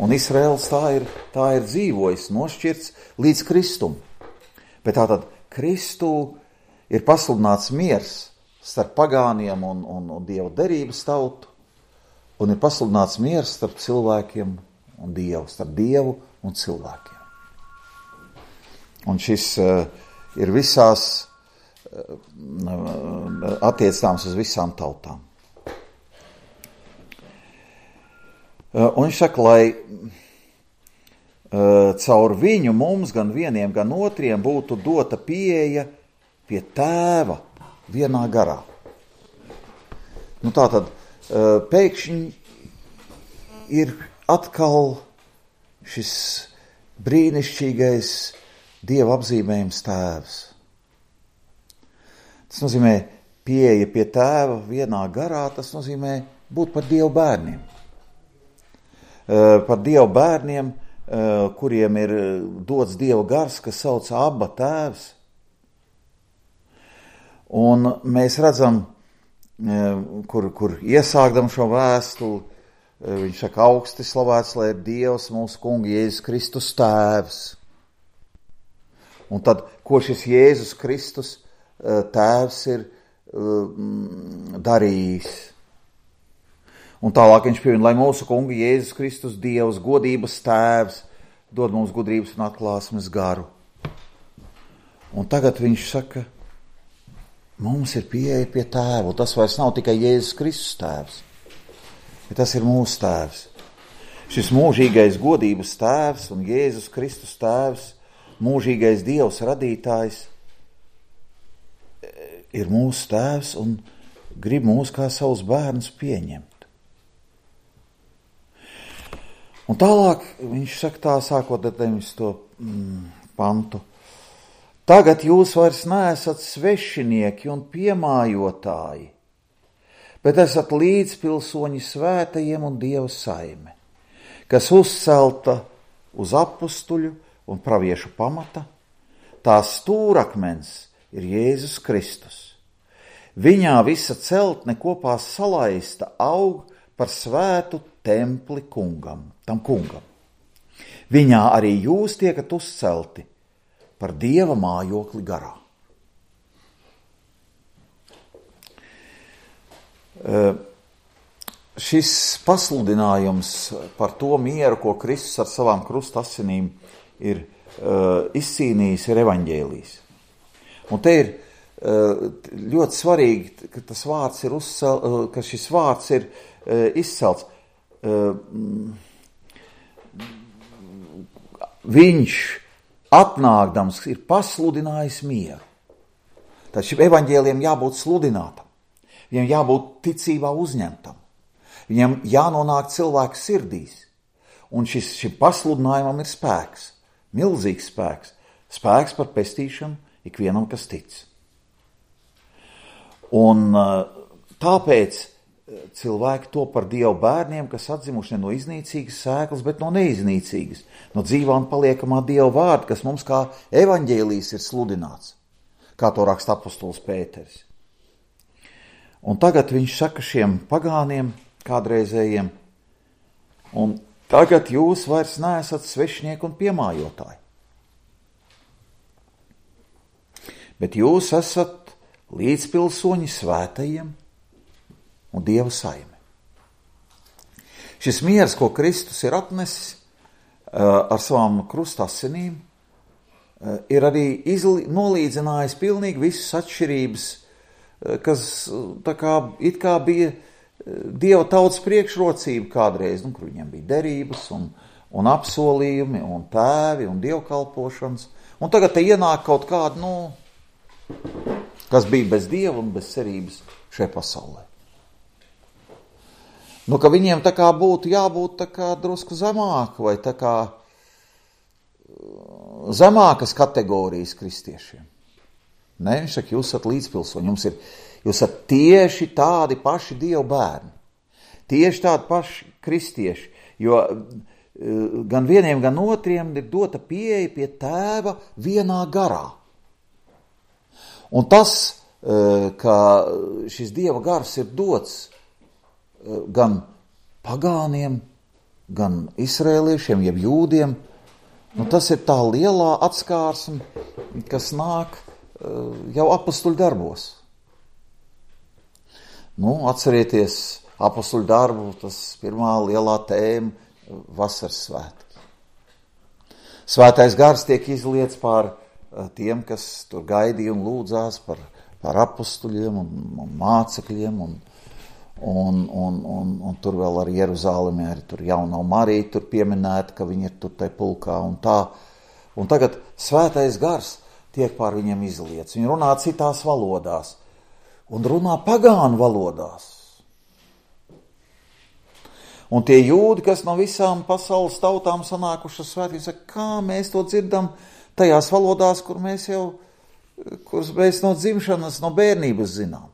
Un Izraels tā ir, tā ir dzīvojis, nošķirts līdz Kristum. Bet tātad Kristū ir pasludināts miers starp pagāniem un, un, un Dieva derības tautu, un ir pasludināts miers starp cilvēkiem un Dievu, starp Dievu un cilvēkiem. Un šis uh, ir visās uh, attiecināms uz visām tautām. Uh, un viņš saka, lai uh, caur viņu mums, gan vieniem, gan otriem, būtu dota pieeja pie Tēva vienā garā. Nu tātad, uh, pēkšņi ir atkal šis brīnišķīgais Dieva apzīmējums Tēvs. Tas nozīmē pieeja pie Tēva vienā garā, tas nozīmē būt par Dieva bērniem. Par Dieva bērniem, kuriem ir dots Dieva gars, kas sauc Abba Tēvs. Un mēs redzam, kur, kur iesākdam šo vēstuli, viņš saka, augsti slavēts, lai ir Dievs, mūsu kungi Jēzus Kristus Tēvs. Un tad, ko šis Jēzus Kristus Tēvs ir darījis. Un tālāk viņš pieviena, lai mūsu kungi Jēzus Kristus Dievs, godības Tēvs, dod mums gudrības un atklāsmes garu. Un tagad viņš saka, mums ir pieeja pie Tēva, un tas vairs nav tikai Jēzus Kristus Tēvs, bet tas ir mūsu Tēvs. Šis mūžīgais godības Tēvs un Jēzus Kristus Tēvs, mūžīgais Dievs radītājs, ir mūsu Tēvs un grib mūs kā savus bērnus pieņemt. Un tālāk viņš saka tā, sākot ar deviņdesmito mm, pantu. Tagad jūs vairs neesat svešinieki un piemājotāji, bet esat līdzpilsoņi svētajiem un Dieva saime, kas uzcelta uz apustuļu un praviešu pamata, tās stūrakmens ir Jēzus Kristus. Viņā visa celtne kopā salaista aug par svētu templi kungam, tam kungam. Viņā arī jūs tiekat uzcelti par Dieva mājokli garā. Uh, šis pasludinājums par to mieru, ko Kristus ar savām krusta asinīm ir uh, izcīnījis, ir evaņģēlijs. Un te ir uh, ļoti svarīgi, ka tas vārds ir uzcel, uh, ka šis vārds ir uh, izcelts. Uh, viņš atnākdams ir pasludinājis mieru. Tad šim evaņģēlijam jābūt sludinātam. Viņam jābūt ticībā uzņemtam. Viņam jānonāk cilvēku sirdīs. Un šis, šim pasludinājumam ir spēks. Milzīgs spēks. Spēks par pestīšanu ikvienam, kas tic. Un tāpēc cilvēki to par Dievu bērniem, kas atzimuši ne no iznīcīgas sēklas, bet no neiznīcīgas, no dzīvā un paliekamā Dieva vārda, kas mums kā evaņģēlijs ir sludināts, kā to raksta apostols Pēteris. Un tagad viņš saka šiem pagāniem, kādreizējiem, un tagad jūs vairs neesat svešinieki un piemājotāji, bet jūs esat līdzpilsoņi svētajiem un Dieva saime. Šis miers, ko Kristus ir atnesis uh, ar savām krusta asinīm, uh, ir arī izli, nolīdzinājis pilnīgi visas atšķirības, uh, kas tā kā, it kā bija Dieva tautas priekšrocība kādreiz, nu, kur viņiem bija derības un, un apsolījumi un tēvi un dievkalpošanas. Un tagad te ienāk kaut kāda, nu, kas bija bez Dieva un bez cerības šajā pasaulē. Nu, ka viņiem tā kā būtu jābūt tā kā drusku zemāk vai tā kā zemākas kategorijas kristiešiem. Nē, viņš saka, jūs esat līdzpilsoņi, jums ir, jūs esat tieši tādi paši Dieva bērni, tieši tādi paši kristieši, jo gan vieniem, gan otriem ir dota pieeja pie tēva vienā garā. Un tas, ka šis Dieva gars ir dots gan pagāniem, gan izrēliešiem, jeb jūdiem, nu tas ir tā lielā atskārsme, kas nāk jau apostuļu darbos. Nu, atcerieties apostuļu darbu, tas pirmā lielā tēma vasaras svētki. Svētais gars tiek izliets pār tiem, kas tur gaidīja un lūdzās par, par apostuļiem un, un mācekļiem un, un, un, un, un tur vēl ar Jeruzālemi arī tur jaunā Marija tur pieminēta, ka viņi ir tur tai pulkā un tā. Un tagad svētais gars tiek pār viņiem izliets. Viņi runā citās valodās un runā pagānu valodās. Un tie jūdi, kas no visām pasaules tautām sanākušas svētki, saka, kā mēs to dzirdam tajās valodās, kur mēs jau, kuras mēs no dzimšanas, no bērnības zinām.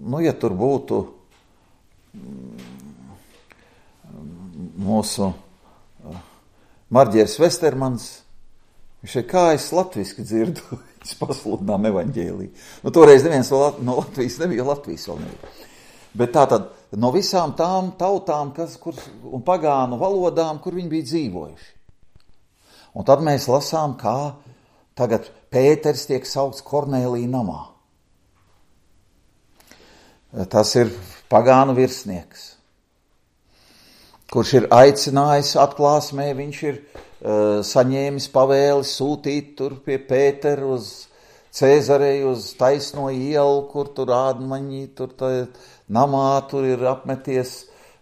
Nu, ja tur būtu mūsu Marģieris Vestermans, viņš ir kā es latviski dzirdu, es pasludinām evaņģēliju. Nu, toreiz neviens no Latvijas nebija, Latvijas vēl nebija. Bet tātad no visām tām tautām kas, kur, un pagānu valodām, kur viņi bija dzīvojuši. Un tad mēs lasām, kā tagad Pēters tiek saukts Kornēlija namā. Tas ir pagānu virsnieks, kurš ir aicinājis atklāsmē, viņš ir uh, saņēmis pavēli sūtīt tur pie Pētera uz Cēzareju, uz taisno ielu, kur tur ādmaņi, tur tā, namā tur ir apmeties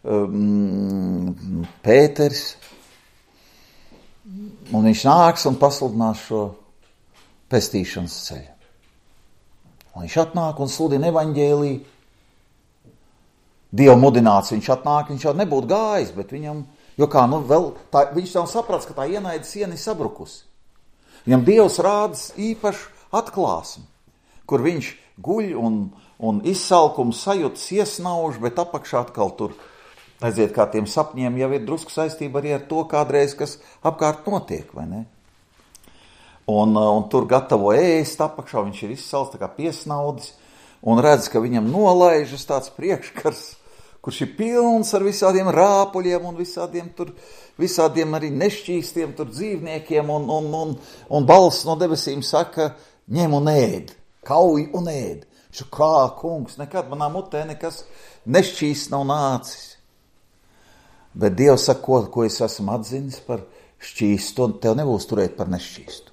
um, Pēters. Un viņš nāks un pasludinās šo pestīšanas ceļu. Un viņš atnāk un sludina evaņģēliju. Dievu mudināts viņš atnāk, viņš jau nebūtu gājis, bet viņam, jo kā, nu vēl, tā, viņš tam saprats, ka tā ienaida siena ir sabrukusi. Viņam Dievs rādas īpašu atklāsmi, kur viņš guļ un, un izsalkums sajūtas iesnauž, bet apakšā atkal tur, aiziet kā tiem sapņiem, jau ir drusku saistība arī ar to kādreiz, kas apkārt notiek, vai ne? Un, un tur gatavo ēst apakšā, viņš ir izsalts, tā kā piesnaudis, un redz, ka viņam nolaižas tāds priekškars, kurš ir pilns ar visādiem rāpuļiem un visādiem tur, visādiem arī nešķīstiem tur dzīvniekiem, un, un, un, un balss no debesīm saka, ņem un ēd, kauj un ēd. Viņš ir kā, kungs, nekad manā mutē nekas nešķīsts nav nācis. Bet Dievs saka, ko, ko es esmu atzinis par šķīstu, un tev nebūs turēt par nešķīstu.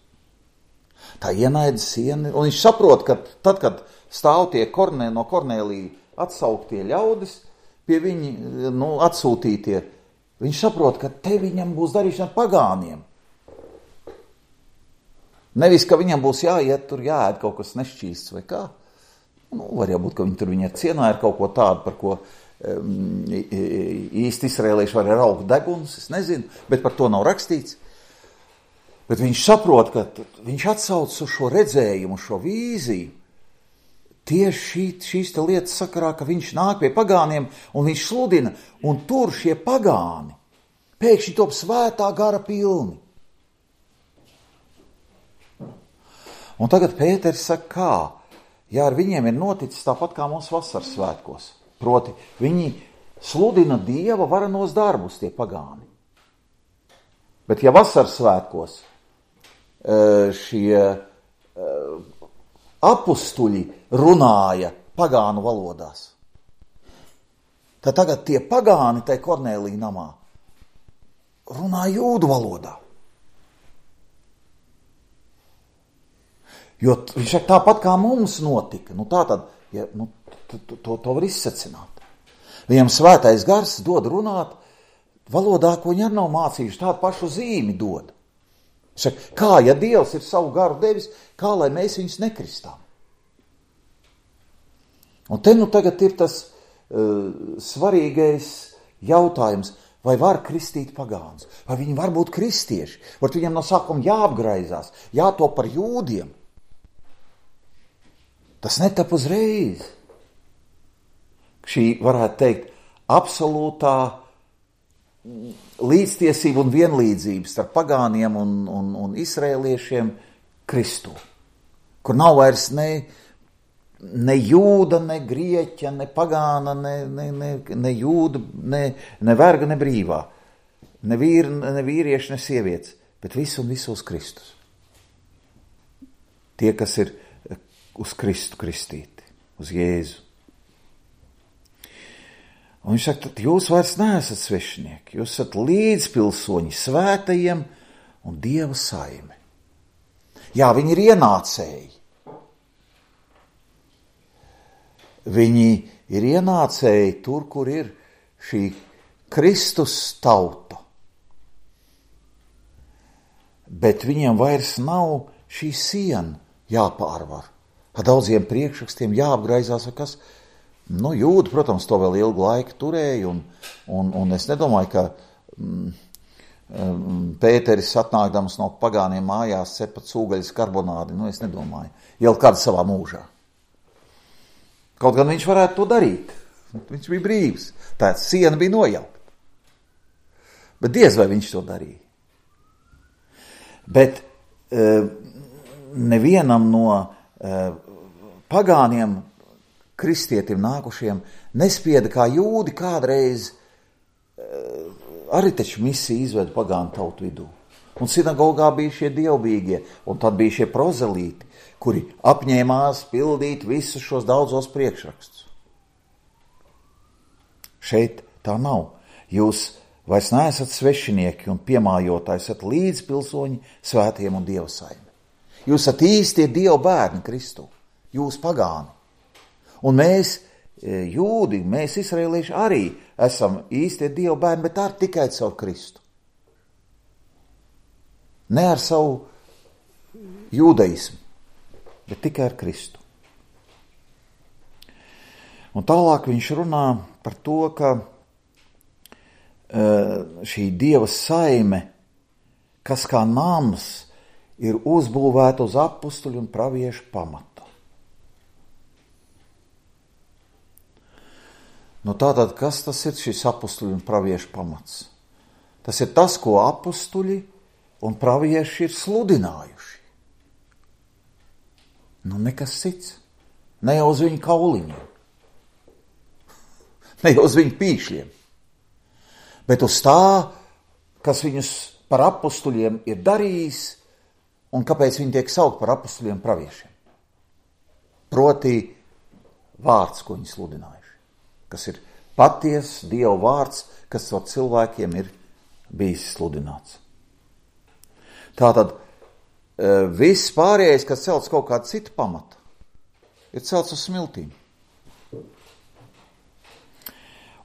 Tā ienaida siena, un viņš saprot, ka tad, kad stāv tie kornē, no Kornēlija atsauktie ļaudis, pie viņi, nu, atsūtītie, viņš saprot, ka te viņam būs darīšana ar pagāniem. Nevis, ka viņam būs jāiet tur, jāēd kaut kas nešķīsts vai kā. Nu, var jābūt, ka viņi tur viņi ir cienā ar kaut ko tādu, par ko um, īsti izrēlieši var raukt deguns, es nezinu, bet par to nav rakstīts. Bet viņš saprot, ka viņš atsauc uz šo redzējumu, šo vīziju, tieši šī, šīs te lietas sakarā, ka viņš nāk pie pagāniem un viņš sludina, un tur šie pagāni pēkšņi top svētā gara pilni. Un tagad Pēters saka, kā? Ja ar viņiem ir noticis tāpat kā mums vasaras svētkos. Proti, viņi sludina Dieva varenos darbus, tie pagāni. Bet ja vasaras svētkos šie apustuļi runāja pagānu valodās, tad tagad tie pagāni tai Kornēlija namā runā jūdu valodā. Jo viņš saka, tāpat kā mums notika, nu tā tad, ja, nu, to, to, to var izsacināt. Viņam svētais gars dod runāt valodā, ko viņi arī nav mācījuši, tādu pašu zīmi dod. Viņš saka, kā, ja Dievs ir savu garu devis, kā lai mēs viņus nekristām? Un te nu tagad ir tas uh, svarīgais jautājums, vai var kristīt pagāns, vai viņi var būt kristieši, vai viņam no sākuma jāapgraizās, jātop par jūdiem. Tas netap uzreiz. Šī, varētu teikt, absolūtā līdztiesību un vienlīdzību starp pagāniem un, un, un izraēliešiem Kristū, kur nav vairs ne, ne jūda, ne grieķa, ne pagāna, ne, ne, ne, ne jūda, ne, ne verga, ne brīvā, ne, vīri, ne vīrieši, ne sievietes, bet visu un visos Kristus. Tie, kas ir uz Kristu kristīti, uz Jēzu. Un viņš saka, tad jūs vairs neesat svešinieki, jūs esat līdzpilsoņi svētajiem un Dieva saime. Jā, viņi ir ienācēji. Viņi ir ienācēji tur, kur ir šī Kristus tauta. Bet viņiem vairs nav šī siena jāpārvar. Ar daudziem priekšrakstiem jāapgraizās, vai kas. Nu, jūdi, protams, to vēl ilgu laiku turēja, un, un, un es nedomāju, ka mm, Pēteris atnākdams no pagāniem mājās cepa cūgaļas karbonādi, nu, es nedomāju, jau kādu savā mūžā. Kaut gan viņš varētu to darīt, viņš bija brīvs, tā siena bija nojaukta, bet diez vai viņš to darīja. Bet uh, nevienam no uh, pagāniem kristietim nākušiem nespieda kā jūdi kādreiz uh, arī taču misiju izveda pagānu tautu vidū. Un sinagogā bija šie dievbīgie, un tad bija šie prozelīti, kuri apņēmās pildīt visus šos daudzos priekšrakstus. Šeit tā nav. Jūs vairs neesat svešinieki un piemājotāji, esat līdzpilsoņi svētiem un Dieva saime. Jūs esat īstie Dieva bērni Kristu, jūs pagāni. Un mēs, jūdi, mēs izraēlieši arī esam īstie Dieva bērni, bet ar tikai caur Kristu. Ne ar savu jūdaismu, bet tikai ar Kristu. Un tālāk viņš runā par to, ka šī Dieva saime, kas kā nams, ir uzbūvēta uz apustuļu un praviešu pamata. Nu tātad, kas tas ir šis apustuļu un praviešu pamats? Tas ir tas, ko apustuļi un pravieši ir sludinājuši. Nu nekas cits. Ne jau uz viņu kauliņiem. Ne jau uz viņu pīšļiem. Bet uz tā, kas viņus par apustuļiem ir darījis un kāpēc viņi tiek saukt par apustuļiem praviešiem. Proti vārds, ko viņi sludinājuši, kas ir paties Dieva vārds, kas ar cilvēkiem ir bijis sludināts. Tātad viss pārējais, kas celts kaut kāda cita pamata, ir celts uz smiltīm.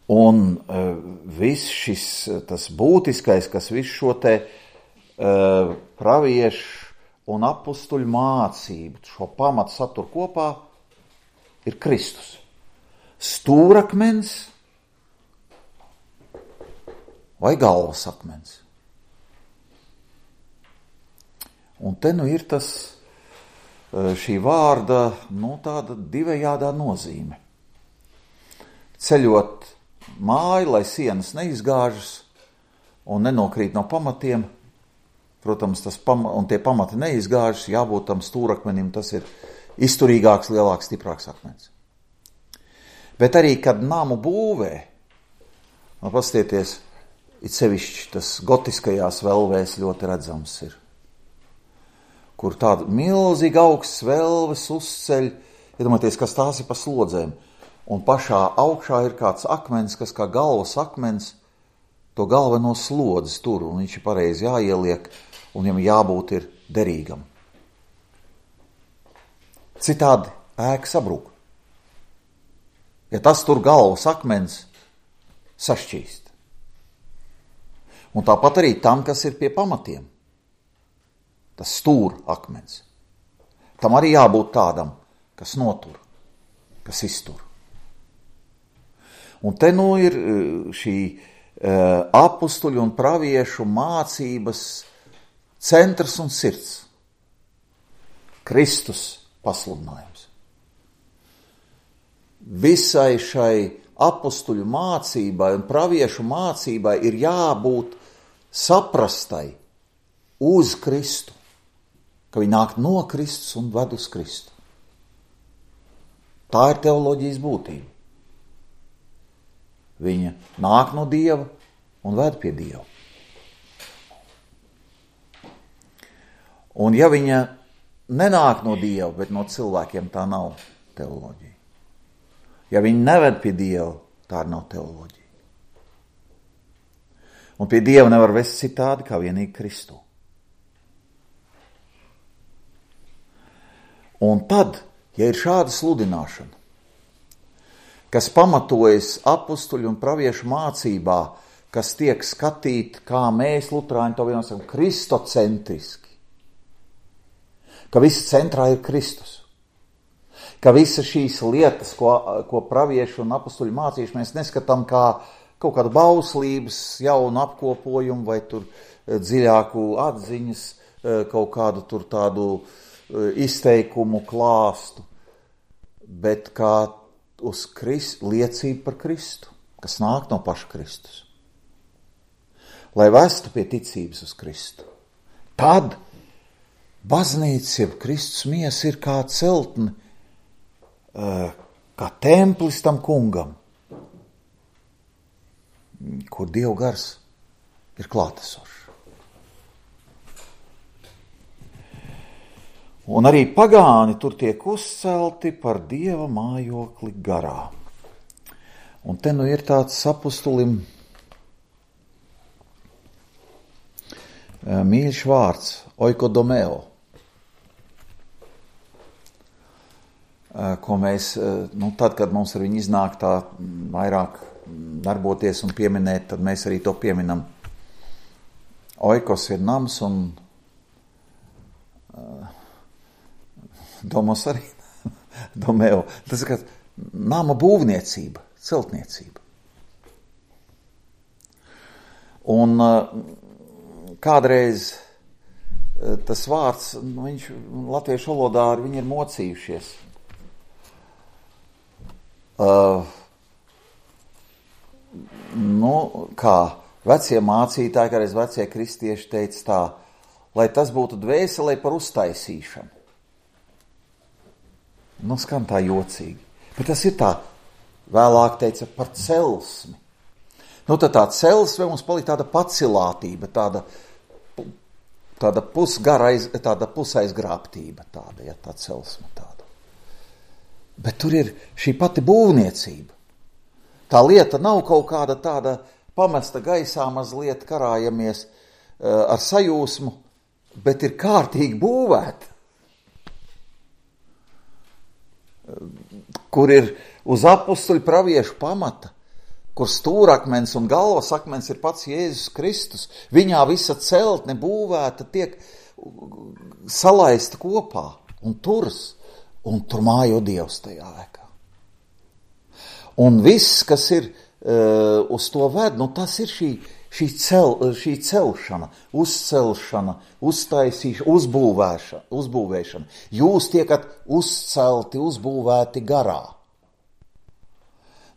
Un uh, viss šis, tas būtiskais, kas visu šo te uh, praviešu un apustuļu mācību, šo pamatu satur kopā, ir Kristus. Stūrakmens vai galvas akmens. Un te nu ir tas, šī vārda, nu tāda divējādā nozīme. Ceļot māju, lai sienas neizgāžas un nenokrīt no pamatiem, protams, tas pama, un tie pamati neizgāžas, jābūt tam stūrakmenim, tas ir izturīgāks, lielāks, stiprāks akmens. Bet arī, kad namu būvē, nu, pastieties, it sevišķi tas gotiskajās velvēs ļoti redzams ir, kur tāda milzīga augsts velves uzceļ, iedomājieties, kas tās ir pa slodzēm, un pašā augšā ir kāds akmens, kas kā galvas akmens, to galveno slodzes tur, un viņš ir pareizi jāieliek, un viņam jābūt ir derīgam. Citādi ēka sabrūk. Ja tas tur galvas akmens sašķīst. Un tāpat arī tam, kas ir pie pamatiem. Tas stūra akmens. Tam arī jābūt tādam, kas notur, kas iztur. Un te nu ir šī uh, apustuļu un praviešu mācības centrs un sirds. Kristus pasludinājums. Visai šai apustuļu mācībai un praviešu mācībai ir jābūt saprastai uz Kristu, ka viņi nāk no Kristus un ved uz Kristu. Tā ir teoloģijas būtība. Viņa nāk no Dieva un ved pie Dieva. Un ja viņa nenāk no Dieva, bet no cilvēkiem, tā nav teoloģija. Ja viņi neved pie Dieva, tā nav teoloģija. Un pie Dieva nevar vest citādi kā vienīgi Kristu. Un tad, ja ir šāda sludināšana, kas pamatojas apustuļu un praviešu mācībā, kas tiek skatīta, kā mēs, luterāņi, to vienosam, kristocentriski, ka viss centrā ir Kristus, ka visas šīs lietas, ko, ko praviešu un apustuļu mācīšu, mēs neskatām kā kaut kādu bauslības jaunu apkopojumu vai tur dziļāku atziņas, kaut kādu tur tādu izteikumu klāstu, bet kā uz Krist, liecību par Kristu, kas nāk no paša Kristus. Lai vestu pie ticības uz Kristu. Tad baznīca, jeb Kristus miesa ir kā celtne, kā templis tam kungam, kur Dieva gars ir klātesošs. Un arī pagāni tur tiek uzcelti par Dieva mājokli garā. Un te nu ir tāds apustulim mīļš vārds, oikodomeo, ko mēs, nu tad, kad mums ar viņu iznāk tā vairāk darboties un pieminēt, tad mēs arī to pieminam. Oikos ir nams un uh, domos arī domeo. Tas ir kā nama būvniecība, celtniecība. Un uh, kādreiz uh, tas vārds, nu, viņš latviešu valodā ar viņu ir mocījušies. Uh, nu, kā vecie mācītāji, kādreiz vecie kristieši teica tā, lai tas būtu dvēselē par uztaisīšanu. Nu, skan tā jocīgi. Bet tas ir tā, vēlāk teica, par celsmi. Nu, tad tā celsme mums palika tāda pacilātība, tāda, tāda pusgarais, tāda pusaizgrābtība, tāda, ja, tā celsme tāda. Bet tur ir šī pati būvniecība. Tā lieta nav kaut kāda tāda pamesta gaisā mazliet karājamies uh, ar sajūsmu, bet ir kārtīgi būvēta. Kur ir uz apustuļu praviešu pamata, kur stūrakmens un galvasakmens ir pats Jēzus Kristus. Viņā visa celtne būvēta tiek salaista kopā un turas, un tur mājo Dievs tajā ēkā. Un viss, kas ir uh, uz to ved, nu tas ir šī, šī, cel, šī celšana, uzcelšana, uztaisīšana, uzbūvēšana, uzbūvēšana. Jūs tiekat uzcelti, uzbūvēti garā.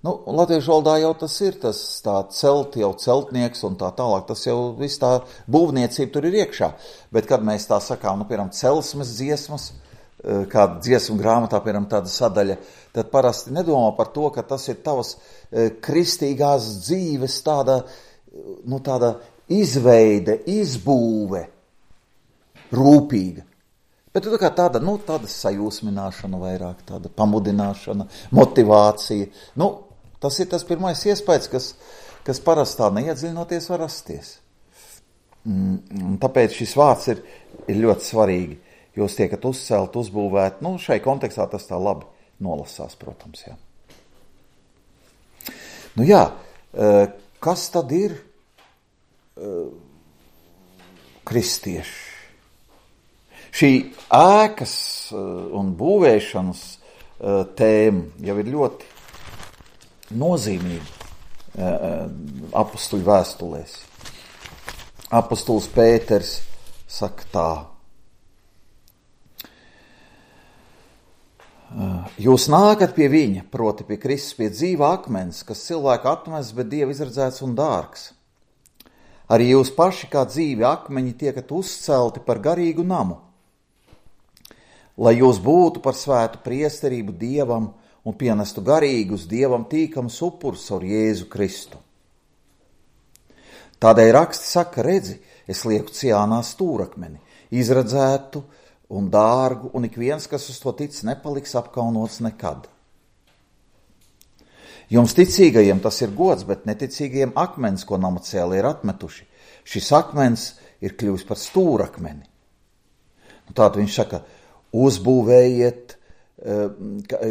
Nu, latviešu valodā jau tas ir, tas tā celt, jau celtnieks un tā tālāk, tas jau viss tā būvniecība tur ir iekšā. Bet kad mēs tā sakām, nu, piemēram, celsmes dziesmas, kāda dziesmu grāmatā, piemēram, tāda sadaļa, tad parasti nedomā par to, ka tas ir tavas kristīgās dzīves tāda, nu, tāda izveide, izbūve, rūpīga. Bet tā kā tāda, nu, tāda sajūsmināšana vairāk, tāda pamudināšana, motivācija. Nu, tas ir tas pirmais iespējas, kas, kas parastā neiedziļinoties var rasties. Un tāpēc šis vārds ir, ir ļoti svarīgi. Jūs tiekat uzcelt, uzbūvēt, nu, šai kontekstā tas tā labi nolasās, protams, jā. Nu jā, kas tad ir kristieši? Šī ēkas un būvēšanas tēma jau ir ļoti nozīmīga apustuļu vēstulēs. Apustulis Pēters saka tā. Jūs nākat pie viņa, proti pie Kristus, pie dzīva akmens, kas cilvēku atmests, bet Dieva izredzēts un dārgs. Arī jūs paši kā dzīvi akmeņi tiekat uzcelti par garīgu namu, lai jūs būtu par svētu priesterību Dievam un pienestu garīgus Dievam tīkams upurs ar Jēzu Kristu. Tādēļ raksti saka, redzi, es lieku Ciānā stūrakmeni, izredzētu un dārgu, un ik viens, kas uz to tic, nepaliks apkaunots nekad. Jums ticīgajiem tas ir gods, bet neticīgajiem akmens, ko namacēli ir atmetuši. Šis akmens ir kļuvis par stūrakmeni. Nu, tātad viņš saka, uzbūvējiet,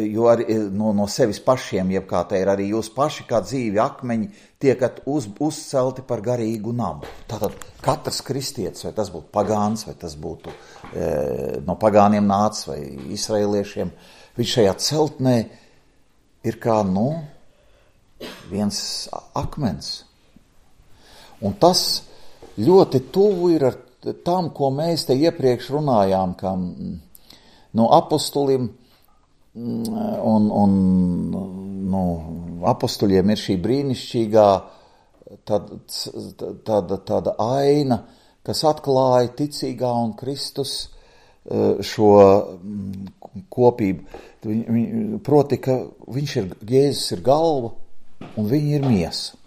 jo arī no, no sevis pašiem, jeb kā te ir arī jūs paši kā dzīvi akmeņi, tiekat uz, uzcelti par garīgu namu. Tātad katrs kristietis, vai tas būtu pagāns, vai tas būtu e, no pagāniem nācis, vai izraeliešiem, viņš šajā celtnē ir kā, nu, viens akmens. Un tas ļoti tuvu ir ar tam, ko mēs te iepriekš runājām, kā no apostulim, un, un nu, apostuļiem ir šī brīnišķīgā tāda, tāda, tāda aina, kas atklāja ticīgā un Kristus šo kopību. Proti, ka viņš ir, Jēzus ir galva un viņi ir miesa.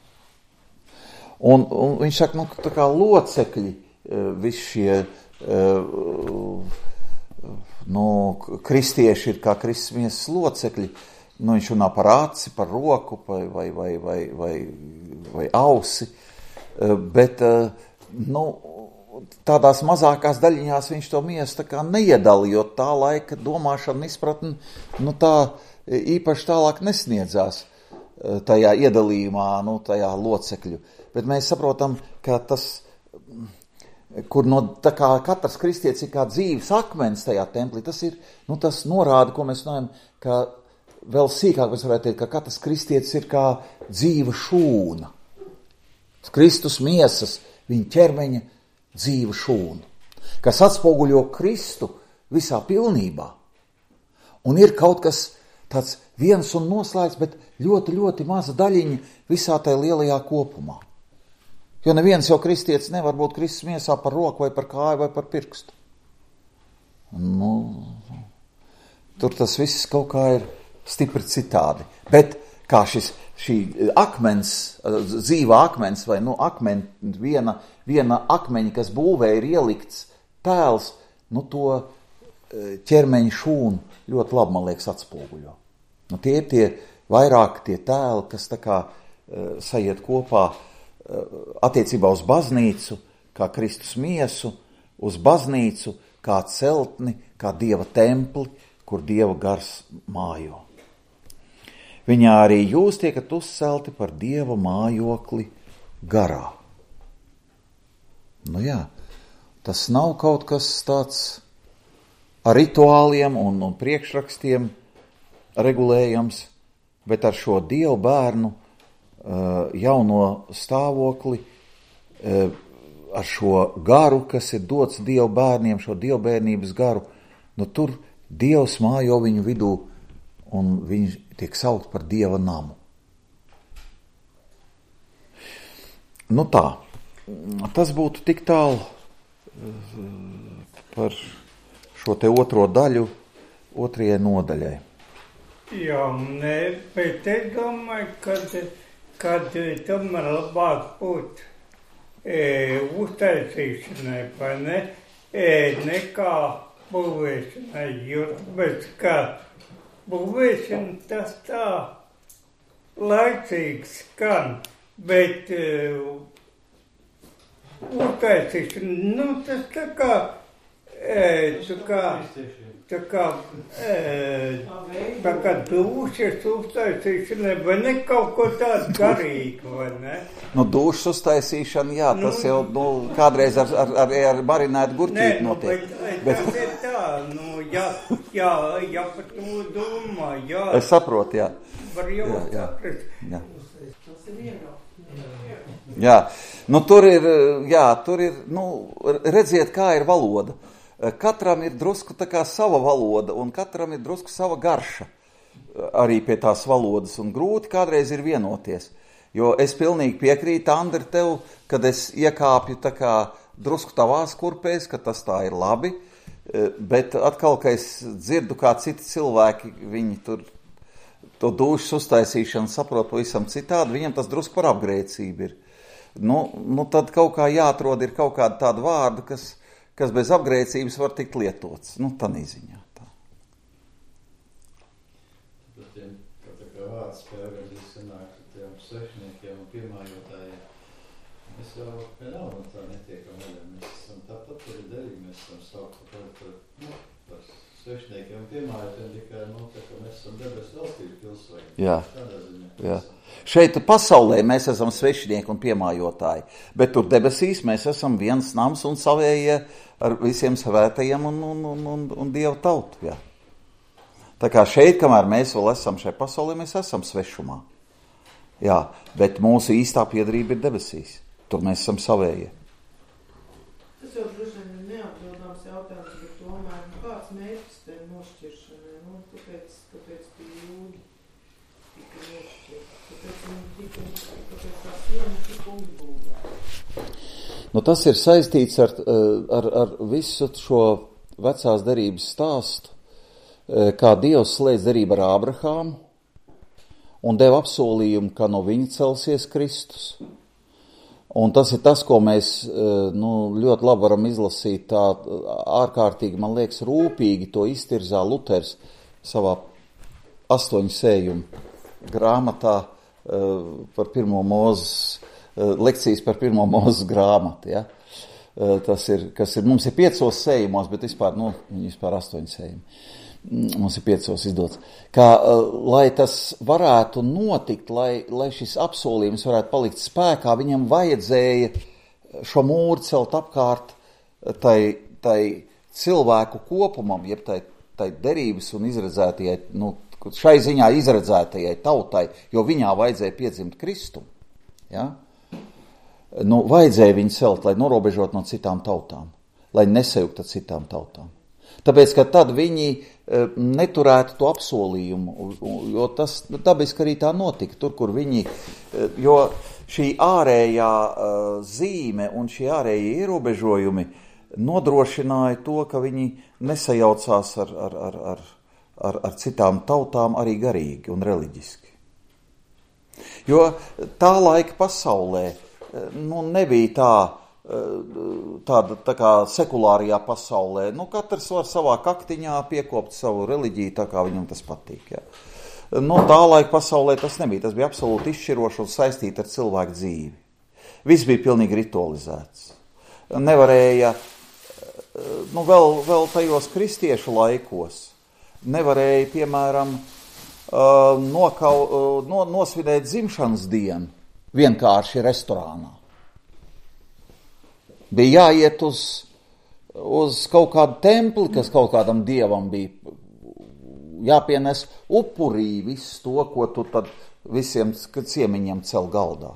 Un, un viņš saka, nu, tā kā locekļi, visi šie nu, kristieši ir kā Kristus miesas locekļi, nu, viņš runā par aci, par roku vai, vai, vai, vai, vai, vai ausi, bet, nu, tādās mazākās daļiņās viņš to miesu tā kā neiedala, jo tā laika domāšana izpratni, nu, tā īpaši tālāk nesniedzās tajā iedalījumā, nu, tajā locekļu. Bet mēs saprotam, ka tas, kur no tā kā katrs kristietis ir kā dzīves akmens tajā templī, tas ir, nu, tas norāda, ko mēs runājam, ka vēl sīkāk mēs varētu teikt, ka katrs kristietis ir kā dzīva šūna. Kristus miesas, viņa ķermeņa dzīva šūna, kas atspoguļo Kristu visā pilnībā. Un ir kaut kas tāds viens un noslēgts, bet ļoti, ļoti maza daļiņa visā tajā lielajā kopumā. Jo neviens jau kristietis nevar būt Kristus miesā par roku vai par kāju vai par pirkstu. Nu, tur tas viss kaut kā ir stipri citādi. Bet kā šis, šī akmens, dzīvā akmens vai nu akmeni, viena, viena akmeņa, kas būvē ir ielikts tēls, nu to ķermeņa šūnu ļoti labi, man liekas, atspoguļo. Nu, tie ir tie vairāk tie tēli, kas tā kā uh, sajiet kopā uh, attiecībā uz baznīcu, kā Kristus miesu, uz baznīcu, kā celtni, kā Dieva templi, kur Dieva gars mājo. Viņā arī jūs tiekat uzcelti par Dieva mājokli garā. Nu jā, tas nav kaut kas tāds ar rituāliem un, un priekšrakstiem regulējams, bet ar šo Dievu bērnu jauno stāvokli, ar šo garu, kas ir dots Dievu bērniem, šo Dievu bērnības garu, nu tur Dievs mājo viņu vidū un viņš tiek saukt par Dieva namu. Nu tā, tas būtu tik tālu par šo te otro daļu, otrajai nodaļai. Jā, nē, bet es domāju, kad, kad tomēr labāk būt e, uztaisīšanai, vai ne, e, nekā būvēšanai, jo tāpēc, ka būvēšana tas tā laicīgs skan, bet e, uztaisīšana, nu, tas tā kā, e, tā kā, tā kā, e, tā kā dušas uztaisīšana, vai ne kaut ko tādu garīgu, vai ne? Nu, dušas uztaisīšana, jā, tas nu, jau, nu, kādreiz ar, ar, ar, ar marinētu gurķīti nu, notiek. Bet, bet tas ir tā, nu, jā, jā, jā, par to domā, jā. Es saprotu, jā. Var jau jā, jā. saprast. Jā. Jā, nu tur ir, jā, tur ir, nu, redziet, kā ir valoda. katram ir drusku tā kā sava valoda, un katram ir drusku sava garša arī pie tās valodas, un grūti kādreiz ir vienoties. Jo es pilnīgi piekrītu, Andri, tev, kad es iekāpju tā kā drusku tavās kurpēs, ka tas tā ir labi, bet atkal, ka es dzirdu, kā citi cilvēki, viņi tur to dušas uztaisīšanu saprot pavisam citādi, viņam tas drusku par apgrēcību ir. Nu, nu tad kaut kā jāatrod ir kaut kāda tāda vārda, kas, kas bez apgrēcības var tikt lietots. Nu, tā nīziņā. Tā. Bet tiem, kā tā kā vārds pēvērģis sanāk tiem svešniekiem un piemājotājiem, mēs jau vienalga no tā netiekam vaļā. Mēs esam tāpat arī derīgi, mēs esam saukti par, par, nu, par svešniekiem un piemājotājiem, tikai, nu, tā kā mēs esam debesu valstību pilsoņi. Jā. Tādā ziņā. Jā. Šeit pasaulē mēs esam svešinieki un piemājotāji, bet tur debesīs mēs esam viens nams un savējie ar visiem svētajiem un, un, un, un, un Dieva tautu. Jā. Tā kā šeit, kamēr mēs vēl esam šajā pasaulē, mēs esam svešumā. Jā, bet mūsu īstā piederība ir debesīs. Tur mēs esam savējie. Tas jau droši vien ir neatbildāms jautājums, bet tomēr nu, kāds mērķis te nošķiršanai? Nu, kāpēc, kāpēc pie jūdi tika nošķirt? Kāpēc viņi tika, kāpēc tā siena tika uzbūvēta? Nu, tas ir saistīts ar, ar, ar visu šo vecās derības stāstu, kā Dievs slēdz derību ar Ābrahāmu un deva apsolījumu, ka no viņa celsies Kristus. Un tas ir tas, ko mēs nu, ļoti labi varam izlasīt tā ārkārtīgi, man liekas, rūpīgi to iztirzā Luters savā astoņu sējumu grāmatā par pirmo mūzes, lekcijas par pirmo mūzes grāmatu. Ja? Tas ir, kas ir, mums ir piecos sējumos, bet vispār, nu, vispār astoņu sējumi. Mums ir piecos izdots. Kā, lai tas varētu notikt, lai, lai šis apsolījums varētu palikt spēkā, viņam vajadzēja šo mūru celt apkārt tai, tai cilvēku kopumam, jeb tai, tai derības un izredzētajai, nu, šai ziņā izredzētajai tautai, jo viņā vajadzēja piedzimt Kristumu. Ja? Nu, vajadzēja viņu celt, lai norobežot no citām tautām, lai nesajuktu citām tautām. Tāpēc, ka tad viņi neturētu to apsolījumu, jo tas dabiski arī tā notika, tur, kur viņi, jo šī ārējā zīme un šie ārējie ierobežojumi nodrošināja to, ka viņi nesajaucās ar, ar, ar, ar, ar, ar citām tautām arī garīgi un reliģiski. Jo tā laika pasaulē nu, nebija tā, tāda tā kā sekulārajā pasaulē. Nu, katrs var savā kaktiņā piekopt savu reliģiju, tā kā viņam tas patīk. Jā. Nu, tā laika pasaulē tas nebija. Tas bija absolūti izšķiroši un saistīti ar cilvēku dzīvi. Viss bija pilnīgi ritualizēts. Nevarēja, nu, vēl, vēl tajos kristiešu laikos, nevarēja, piemēram, nokau, no, nosvinēt dzimšanas dienu vienkārši restorānā. Bija jāiet uz, uz kaut kādu templi, kas kaut kādam dievam bija jāpienes upurī visu to, ko tu tad visiem ciemiņiem cel galdā.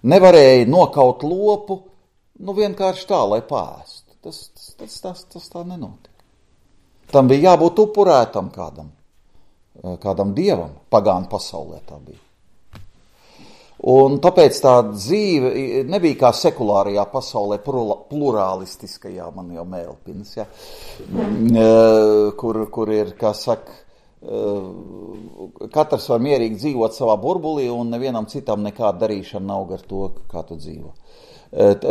Nevarēja nokaut lopu, nu vienkārši tā, lai pāstu. Tas, tas, tas, tas, tas tā nenotika. Tam bija jābūt upurētam kādam, kādam dievam, pagānu pasaulē tā bija. Un tāpēc tā dzīve nebija kā sekulārajā pasaulē, pluralistiskajā, man jau mēlpinas, ja, kur, kur ir, kā saka, katrs var mierīgi dzīvot savā burbulī un nevienam citam nekāda darīšana nav ar to, kā tu dzīvo.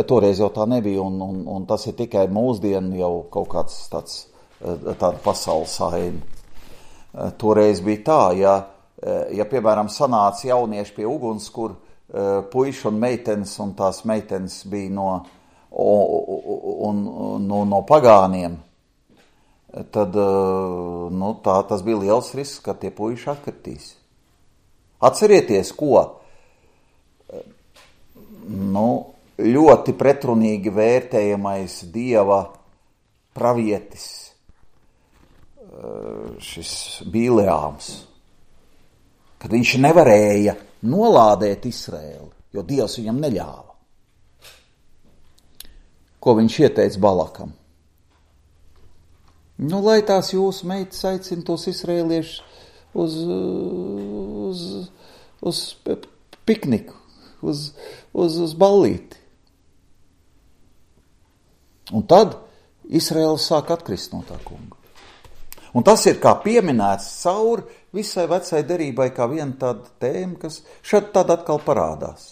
Toreiz jau tā nebija, un, un, un tas ir tikai mūsdienu jau kaut kāds tāds, tāda pasaules saima. Toreiz bija tā, ja, ja, piemēram, sanāca jaunieši pie uguns, kur uh, puiši un meitenes, un tās meitenes bija no, un, un, no, no pagāniem, tad uh, nu, tā, tas bija liels risks, ka tie puiši atkritīs. Atcerieties, ko nu, ļoti pretrunīgi vērtējamais Dieva pravietis, uh, šis Bīleāms, kad viņš nevarēja nolādēt Izraēlu, jo Dievs viņam neļāva. ko viņš ieteica Balakam. Nu, lai tās jūsu meitas aicina tos izrēliešus uz, uz, uz pikniku, uz, uz, uz ballīti. Un tad Izraēls sāk atkrist no tā kunga. Un tas ir kā pieminēts cauri visai vecai derībai, kā viena tāda tēma, kas šad tad atkal parādās.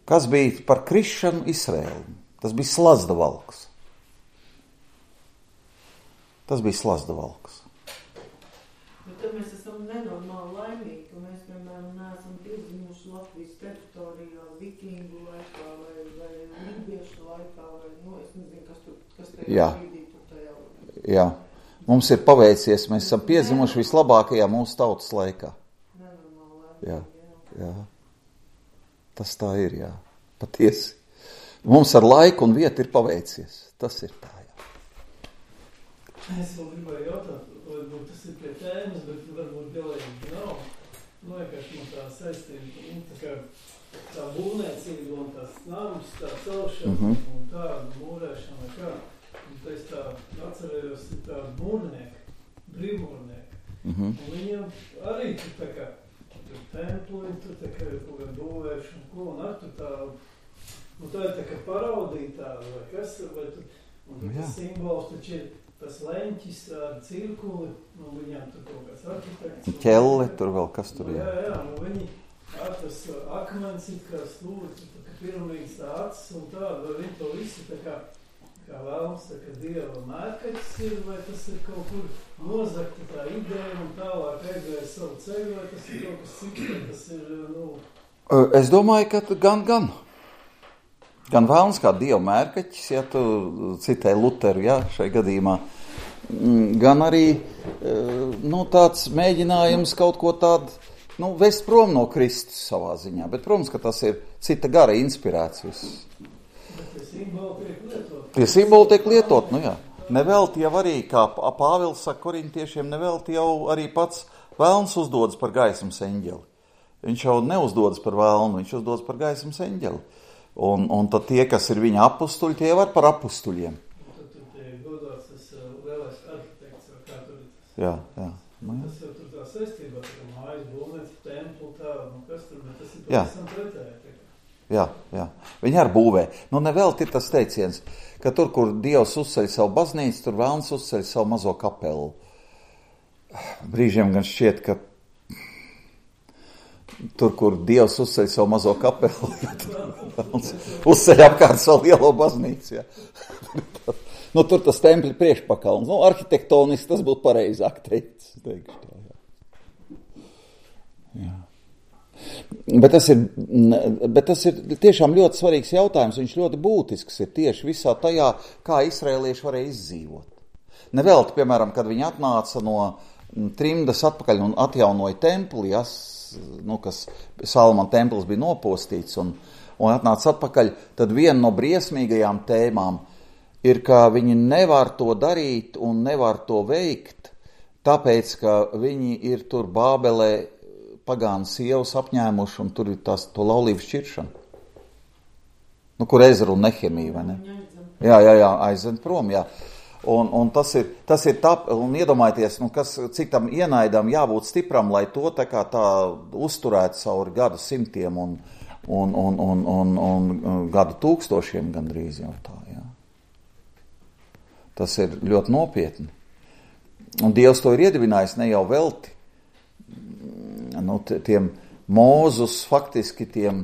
Kas bija par krišanu Izraēlu? Tas bija slazda valks. Tas bija slazda valks. Bet tad mēs esam nenormāli laimīgi, ka mēs, piemēram, neesam piedzimuši Latvijas teritorijā vikingu laikā vai, vai lībiešu laikā, vai, nu, es nezinu, kas tur, kas tajā brīdī tur tajā. Jā, mums ir paveicies, mēs esam piedzimuši vislabākajā mūsu tautas laikā. Nenormāli laimīgi, jā. jā. Tas tā ir, jā, patiesi. Mums ar laiku un vietu ir paveicies, tas ir tā. Es vēl gribēju jautāt, varbūt tas ir pie tēmas, bet varbūt galīgi nav. Nu, vienkārši man tā saistība, nu, tā kā tā būvniecība un tās nams, tā celšana mm-hmm. un tā mūrēšana, kā. Un tā es tā atcerējos, ir tādi mūrnieki, brīvmūrnieki. Mm-hmm. Un viņiem arī tur tā kā tur templi, tur tā kā kaut kā būvēšana, ko, un ar tur tā, nu tā ir tā kā paraudītā, vai kas, vai tur, un tas simbols taču ir tas leņķis ar cirkuli, nu viņām tur kaut kāds arhitekts. Ķelle, tur vēl kas tur, jā. Jā, jā, nu viņi ar tas akmens it kā stūris, tā kā piramīdas tā acis un tā, vai viņi to visu tā kā, kā vēlams, tā kā dieva mērkaķis ir, vai tas ir kaut kur nozakta tā ideja un tālāk aizgāja savu ceļu, vai tas ir kaut kas cits, vai tas ir, nu... Es domāju, ka gan, gan. Gan vēlns kā dieva mērkaķis, ja tu citēji Luteru, ja, šai gadījumā, gan arī nu, tāds mēģinājums kaut ko tādu, nu, vest prom no Kristus savā ziņā, bet, protams, ka tas ir cita gara inspirēts viss. Bet tie simboli tiek lietot. Tie simboli tiek lietot, nu jā. Nevelti jau arī, kā Pāvils saka korintiešiem, nevelti jau arī pats vēlns uzdodas par gaismas eņģeli. Viņš jau neuzdodas par vēlnu, viņš uzdodas par gaismas eņģeli. Un, un tad tie, kas ir viņa apustuļi, tie var par apustuļiem. Tad tur tie godās tas lielais arhitekts, vai kā tur ir tas. Jā, jā. Nu, jā. Tas jau tur tā saistībā, tā mājas būvniec, templu, tā, nu kas tur, bet tas ir jā. pavisam pretēji. Jā, jā. Viņi arī būvē. Nu, nevēl ir tas teiciens, ka tur, kur Dievs uzceļ savu baznīcu, tur vēlns uzceļ savu mazo kapelu. Brīžiem gan šķiet, ka tur, kur Dievs uzceļ savu mazo kapelu, uzceļ apkārt savu lielo baznīcu. Jā. Nu, tur tas tempļa priekšpakalns. Nu, arhitektoniski tas būtu pareizāk teicis. Teikšu tā, jā. Jā. Bet tas ir, bet tas ir tiešām ļoti svarīgs jautājums. Viņš ļoti būtisks ir tieši visā tajā, kā izraēlieši varēja izdzīvot. Nevelti, piemēram, kad viņi atnāca no trimdas atpakaļ un atjaunoja templi, jas, nu, kas Salmana templis bija nopostīts un, un atnāca atpakaļ, tad viena no briesmīgajām tēmām ir, ka viņi nevar to darīt un nevar to veikt, tāpēc, ka viņi ir tur Bābelē pagānu sievas apņēmuši un tur ir tās to laulību šķiršana. Nu, kur Ezra un Nehemija, vai ne? Jā, jā, jā, aizved prom, jā. Un, un tas ir, tas ir tā, un iedomājieties, nu, kas, cik tam ienaidam jābūt stipram, lai to tā kā tā uzturētu cauri gadu simtiem un, un, un, un, un, un gadu tūkstošiem gandrīz jau tā, jā. Tas ir ļoti nopietni. Un Dievs to ir iedibinājis ne jau velti. Nu, tiem Mūzus faktiski tiem,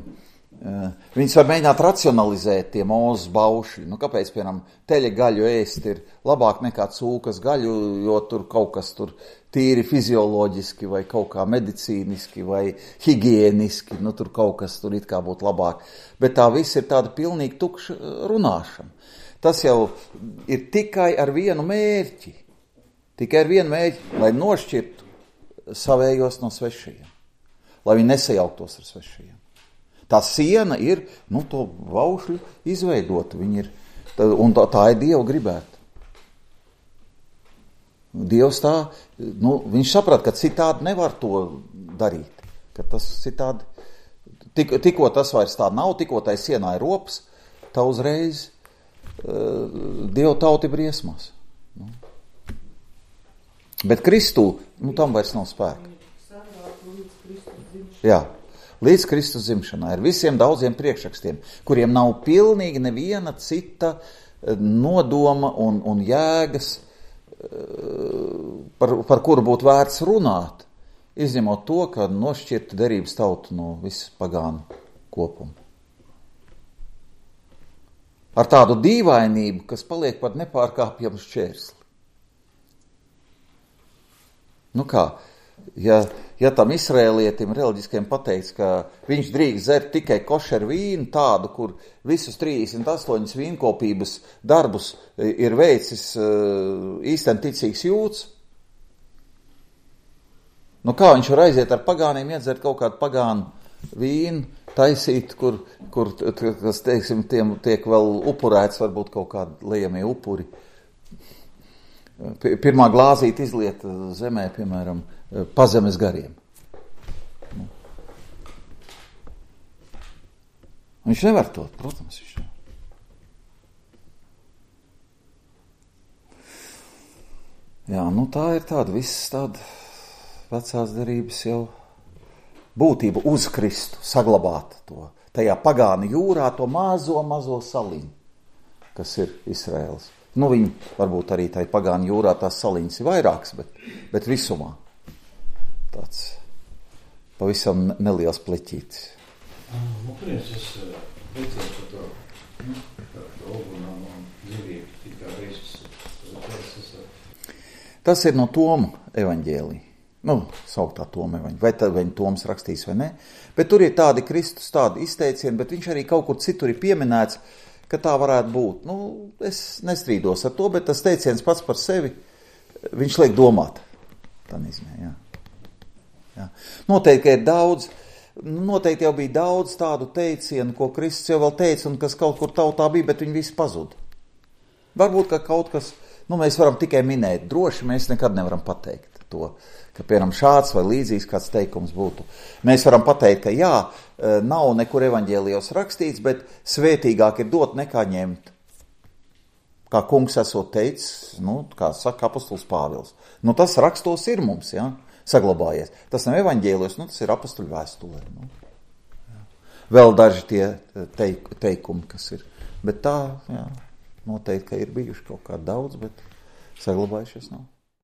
uh, viņus var mēģināt racionalizēt, tie Mūzus baušļi. Nu, kāpēc, piemēram, teļa gaļu ēst ir labāk nekā cūkas gaļu, jo tur kaut kas tur tīri fizioloģiski vai kaut kā medicīniski vai higieniski, nu, tur kaut kas tur it kā būtu labāk. Bet tā viss ir tāda pilnīgi tukša runāšana. Tas jau ir tikai ar vienu mērķi. Tikai ar vienu mērķi, lai nošķirtu savējos no svešajiem. Lai viņi nesajauktos ar svešajiem. Tā siena ir, nu, to baušļu izveidota. Viņi ir, un tā, tā ir Dieva gribēta. Dievs tā, nu, viņš saprata, ka citādi nevar to darīt. Ka tas citādi Tik, tikko tas vairs tā nav, tikko tai sienā ir rops, tā uzreiz uh, Dievu tauti briesmās. Nu. Bet Kristū, nu tam vairs nav spēka. Jā, līdz Kristus dzimšanai ar visiem daudziem priekšrakstiem, kuriem nav pilnīgi neviena cita nodoma un, un jēgas, par, par kuru būtu vērts runāt, izņemot to, ka nošķirtu derības tautu no visas pagānu kopuma. Ar tādu dīvainību, kas paliek par nepārkāpjamu šķērsli. Nu kā, ja, ja tam Izraēlietim reliģiskiem pateikts, ka viņš drīkst dzert tikai košeru vīnu, tādu, kur visus trīsdesmit astoņas vīnkopības darbus ir veicis īsten ticīgs jūds, nu kā viņš var aiziet ar pagāniem, iedzert kaut kādu pagānu vīnu, taisīt, kur, kur kas, teiksim, tiem tiek vēl upurēts, varbūt kaut kādi liejamie upuri. Pirmā glāzīte izliet zemē, piemēram, pazemes gariem. Nu. Viņš nevar to, protams, viņš nevar. Jā, nu tā ir tāda viss tāda vecās derības jau būtība uz Kristu, saglabāt to, tajā pagānu jūrā, to mazo, mazo saliņu, kas ir Izraēls. Nu, viņi varbūt arī tai pagānu jūrā tās saliņas ir vairākas, bet, bet visumā tāds pavisam neliels pleķītis. Nu, prins, es liecinu par to, par to ogunām un dzīvību, tikā Kristus. Tas ir no Toma evaņģēlija. Nu, sauktā Toma evaņģēlija. Vai tad viņi Toms rakstīs vai ne? Bet tur ir tādi Kristus, tādi izteicieni, bet viņš arī kaut kur citur ir pieminēts, ka tā varētu būt. Nu, es nestrīdos ar to, bet tas teiciens pats par sevi, viņš liek domāt. Tā nezinu, jā. jā. Noteikti, ka ir daudz, noteikti jau bija daudz tādu teicienu, ko Kristus jau vēl teica, un kas kaut kur tautā bija, bet viņi visi pazuda. Varbūt, ka kaut kas, nu, mēs varam tikai minēt, droši mēs nekad nevaram pateikt to, ka, piemēram, šāds vai līdzīgs kāds teikums būtu. Mēs varam pateikt, ka jā, nav nekur evaņģēlijos rakstīts, bet svētīgāk ir dot nekā ņemt. Kā kungs esot teicis, nu, kā saka apostols Pāvils. Nu, tas rakstos ir mums, jā, saglabājies. Tas nav evaņģēlijos, nu, tas ir apostoļu vēstulē. Nu. Vēl daži tie teik, teikumi, kas ir. Bet tā, jā, noteikti, ka ir bijuši kaut kā daudz, bet saglabājušies nav.